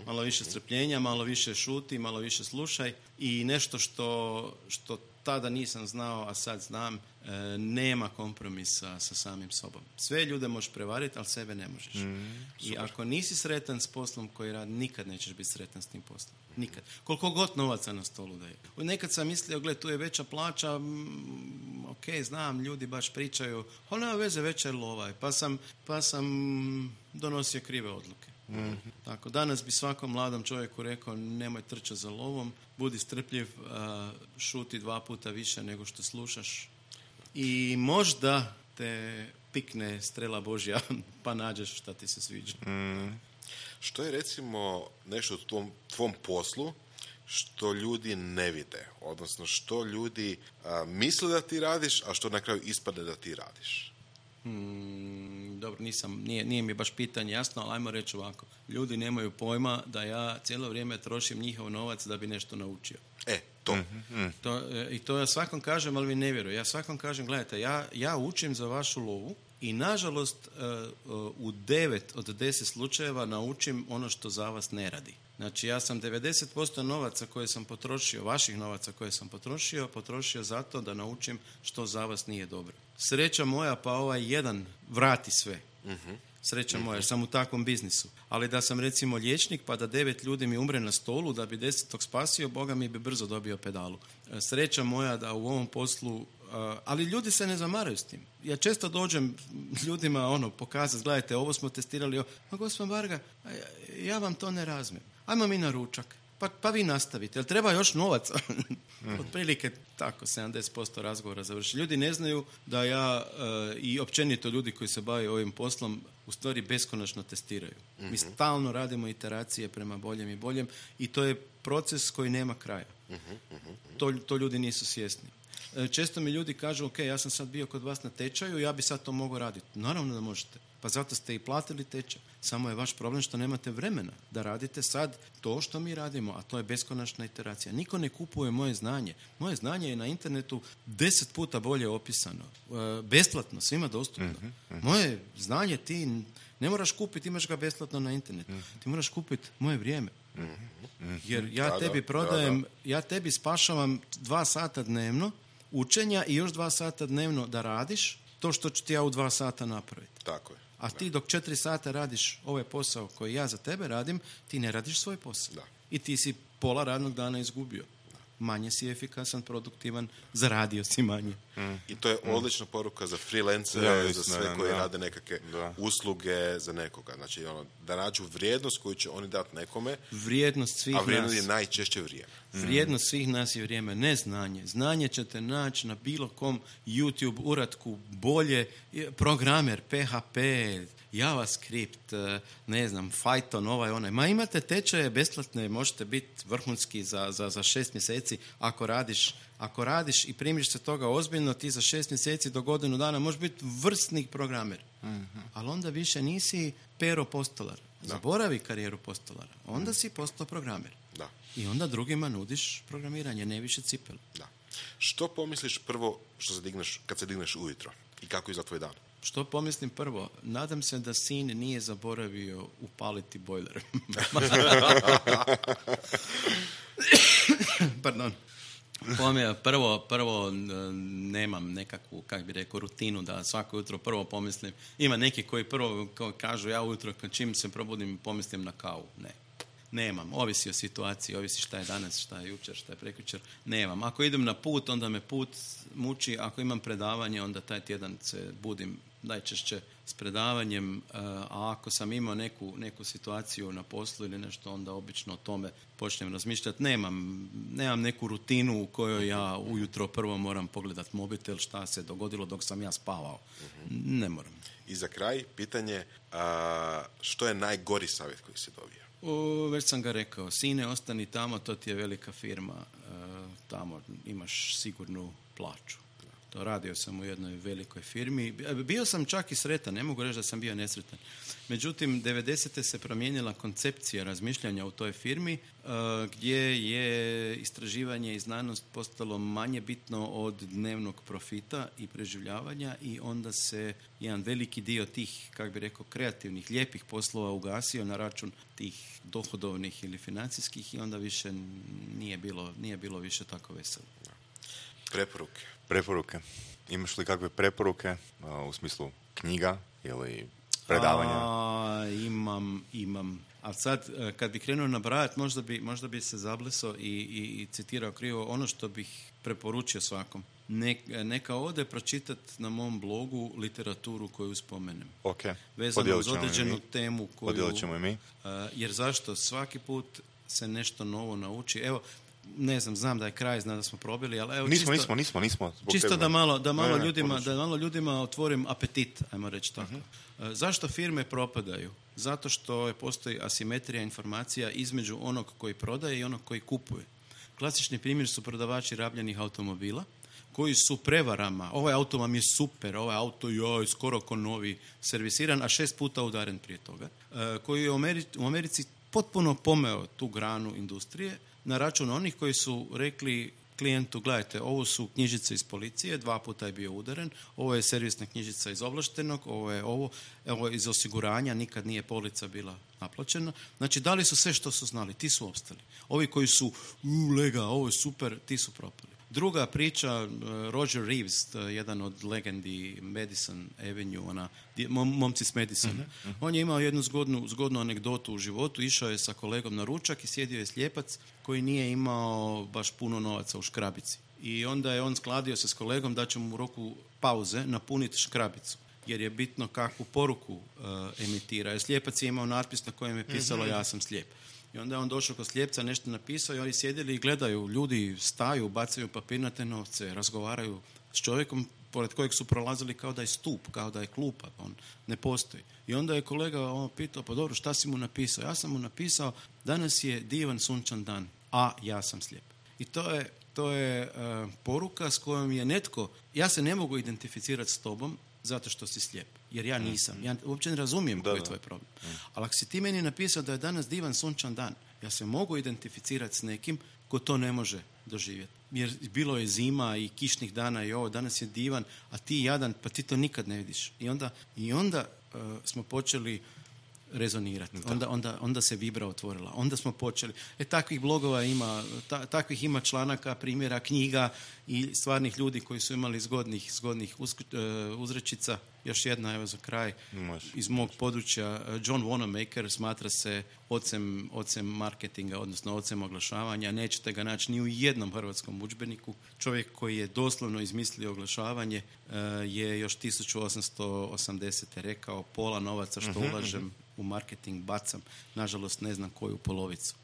Malo više strpljenja, malo više šuti, malo više slušaj i nešto što tada nisam znao, a sad znam, nema kompromisa sa samim sobom. Sve ljude možeš prevariti, ali sebe ne možeš. I ako nisi sretan s poslom koji radi, nikad nećeš biti sretan s tim poslom. Nikad. Koliko god novaca na stolu daje. Nekad sam mislio, tu je veća plaća, ok, znam, ljudi baš pričaju, ali nema veze, veća je lova. Pa sam donosio krive odluke. Tako, danas bi svakom mladom čovjeku rekao, nemoj trčati za lovom, budi strpljiv, šuti 2 puta više nego što slušaš i možda te pikne strela Božja pa nađeš šta ti se sviđa. Što je recimo nešto u tvom poslu što ljudi ne vide, odnosno što ljudi misle da ti radiš, a što na kraju ispadne da ti radiš? Dobro, nije mi baš pitanje jasno, ali ajmo reći ovako. Ljudi nemaju pojma da ja cijelo vrijeme trošim njihov novac da bi nešto naučio. I to ja svakom kažem, ali mi ne vjeruju. Ja svakom kažem, gledajte, ja učim za vašu lovu i nažalost u 9 od 10 slučajeva naučim ono što za vas ne radi. Znači, ja sam 90% novaca koje sam potrošio, vaših novaca koje sam potrošio zato da naučim što za vas nije dobro. Sreća moja, pa ovaj jedan vrati sve. Sreća moja, jer sam u takvom biznisu. Ali da sam recimo liječnik, pa da 9 ljudi mi umre na stolu, da bi 10. spasio, Boga mi bi brzo dobio pedalu. Sreća moja da u ovom poslu, ali ljudi se ne zamaraju s tim. Ja često dođem ljudima pokazati, gledajte, ovo smo testirali, ma gospodin Varga, ja vam to ne razmijem. Ajmo mi na ručak. Pa vi nastavite. Jel treba još novaca? Otprilike tako, 70% razgovora završi. Ljudi ne znaju da ja i općenito ljudi koji se bave ovim poslom u stvari beskonačno testiraju. Mi stalno radimo iteracije prema boljem i boljem i to je proces koji nema kraja. To ljudi nisu svjesni. Često mi ljudi kažu, ok, ja sam sad bio kod vas na tečaju, ja bi sad to mogao raditi. Naravno da možete. Pa zato ste i platili tečaj. Samo je vaš problem što nemate vremena da radite sad to što mi radimo, a to je beskonačna iteracija. Niko ne kupuje moje znanje. Moje znanje je na internetu 10 puta bolje opisano. Besplatno, svima dostupno. Moje znanje ti ne moraš kupiti, imaš ga besplatno na internetu. Ti moraš kupiti moje vrijeme. Jer ja tebi prodajem, ja tebi spašavam 2 sata dnevno učenja i još 2 sata dnevno da radiš to što ću ti ja u 2 sata napraviti. Tako je. A ti dok 4 sata radiš ovaj posao koji ja za tebe radim, ti ne radiš svoj posao. Da. I ti si pola radnog dana izgubio. Manje si efikasan, produktivan, zaradio si manje. I to je odlična poruka za freelance, za sve koji rade nekakve usluge za nekoga. Znači, da nađu vrijednost koju će oni dati nekome, vrijednost svih a vrijednost nas je najčešće vrijeme. Vrijednost svih nas je vrijeme, ne znanje. Znanje ćete naći na bilo kom YouTube uratku, bolje, programer, PHP, JavaScript, ne znam, Python, onaj. Ma imate tečaje besplatne, možete biti vrhunski za 6 mjeseci ako radiš i primiš se toga ozbiljno, ti za 6 mjeseci do godinu dana možeš biti vrsni programer. Ali onda više nisi Pero Postolar. Zaboravi karijeru postolara. Onda si postao programer. Da. I onda drugima nudiš programiranje, ne više cipel. Da. Što pomisliš prvo kad se digneš ujutro? I kako izgleda tvoj dan? Što pomislim prvo? Nadam se da sin nije zaboravio upaliti bojler. Pardon. Prvo nemam nekakvu, rutinu da svako jutro prvo pomislim. Ima neki koji prvo kažu ja ujutro čim se probudim pomislim na kavu. Ne. Nemam. Ovisi o situaciji, ovisi šta je danas, šta je jučer, šta je prekjučer. Nemam. Ako idem na put, onda me put muči. Ako imam predavanje, onda taj tjedan se budim najčešće s predavanjem. A ako sam imao neku situaciju na poslu ili nešto, onda obično o tome počnem razmišljati. Nemam neku rutinu u kojoj ja ujutro prvo moram pogledati mobitel, šta se dogodilo dok sam ja spavao. Ne moram. I za kraj, pitanje, što je najgori savjet koji si dobio? Već sam ga rekao, sine, ostani tamo, to ti je velika firma, tamo imaš sigurnu plaću. To radio sam u jednoj velikoj firmi. Bio sam čak i sretan, ne mogu reći da sam bio nesretan. Međutim, 90. se promijenila koncepcija razmišljanja u toj firmi, gdje je istraživanje i znanost postalo manje bitno od dnevnog profita i preživljavanja i onda se jedan veliki dio tih, kreativnih, lijepih poslova ugasio na račun tih dohodovnih ili financijskih i onda više nije bilo više tako veselo. Preporuke. Imaš li kakve preporuke u smislu knjiga ili predavanja? Imam. A sad, kad bi krenuo nabrajati, možda bi se zablesao i citirao krivo ono što bih preporučio svakom. Neka ode pročitati na mom blogu literaturu koju spomenem. Okay. Vezano uz određenu temu koju... Podijelit ćemo i mi. Jer zašto? Svaki put se nešto novo nauči. Evo, ne znam da je kraj, znam da smo probili, ali evo nismo. Čisto da malo ljudima otvorim apetit, ajmo reći tako. Zašto firme propadaju? Zato što postoji asimetrija informacija između onog koji prodaje i onog koji kupuje. Klasični primjer su prodavači rabljenih automobila, koji su prevarama, ovaj auto vam je super, ovaj auto je skoro ko novi, servisiran, a 6 puta udaren prije toga, koji je u Americi potpuno pomeo tu granu industrije na račun onih koji su rekli klijentu, gledajte, ovo su knjižice iz policije, 2 puta je bio udaren, ovo je servisna knjižica iz ovlaštenog, ovo je iz osiguranja, nikad nije polica bila naplaćena. Znači, dali su sve što su znali, ti su opstali. Ovi koji su, lega, ovo je super, ti su propali. Druga priča, Roger Reeves, jedan od legendi Madison Avenue, momci s Madisona. On je imao jednu zgodnu anegdotu u životu, išao je sa kolegom na ručak i sjedio je slijepac koji nije imao baš puno novaca u škrabici. I onda je on skladio se s kolegom da će mu u roku pauze napuniti škrabicu, jer je bitno kakvu poruku emitira. Jer slijepac je imao natpis na kojem je pisalo ja sam slijep. I onda je on došao kod slijepca, nešto napisao i oni sjedili i gledaju, ljudi staju, bacaju papirnate novce, razgovaraju s čovjekom pored kojeg su prolazili kao da je stup, kao da je klupa, on ne postoji. I onda je kolega pitao, pa dobro, šta si mu napisao? Ja sam mu napisao, danas je divan sunčan dan, a ja sam slijep. I to je poruka s kojom je netko, ja se ne mogu identificirati s tobom zato što si slijep, jer ja nisam. Ja uopće ne razumijem koji je tvoj problem. Ali ako si ti meni napisao da je danas divan sunčan dan, ja se mogu identificirati s nekim ko to ne može doživjeti. Jer bilo je zima i kišnih dana i ovo, danas je divan, a ti jadan, pa ti to nikad ne vidiš. I onda smo počeli rezonirati. Onda se vibra otvorila. Onda smo počeli. Takvih blogova ima, takvih ima članaka, primjera, knjiga i stvarnih ljudi koji su imali zgodnih uzrečica. Još jedna, evo za kraj, iz mog područja. John Wanamaker smatra se ocem marketinga, odnosno ocem oglašavanja. Nećete ga naći ni u jednom hrvatskom udžbeniku. Čovjek koji je doslovno izmislio oglašavanje je još 1880. rekao, pola novaca što ulažem u marketing bacam, nažalost ne znam koju polovicu.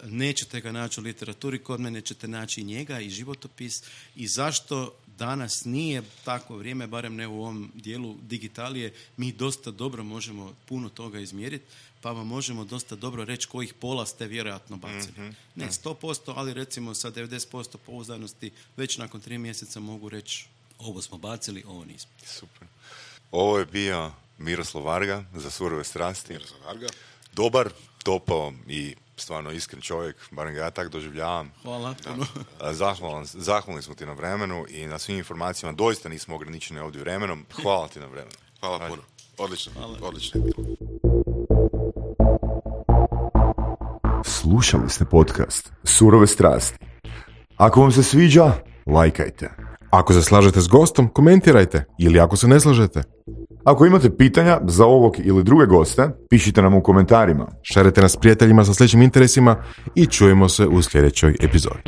Nećete ga naći u literaturi, kod mene ćete naći i njega i životopis. I zašto danas nije takvo vrijeme, barem ne u ovom dijelu digitalije, mi dosta dobro možemo puno toga izmjeriti, pa vam možemo dosta dobro reći kojih pola ste vjerojatno bacili. Ne 100%, ali recimo sa 90% pouzdanosti već nakon 3 mjeseca mogu reći ovo smo bacili, ovo nismo. Super. Ovo je bio Miroslav Varga za Surove strasti. Miroslav Varga. Dobar, topao i stvarno iskren čovjek, barem ga ja tak doživljavam. Hvala puno. Zahvalni smo ti na vremenu i na svim informacijama. Doista nismo ograničeni ovdje vremenom. Hvala ti na vremenu. Hvala puno. Odlično. Odlično. Slušali ste podcast Surove strasti. Ako vam se sviđa, lajkajte. Ako se slažete s gostom, komentirajte. Ili ako se ne slažete, ako imate pitanja za ovog ili druge goste, pišite nam u komentarima. šerite nas s prijateljima sa sličnim interesima i čujemo se u sljedećoj epizodi.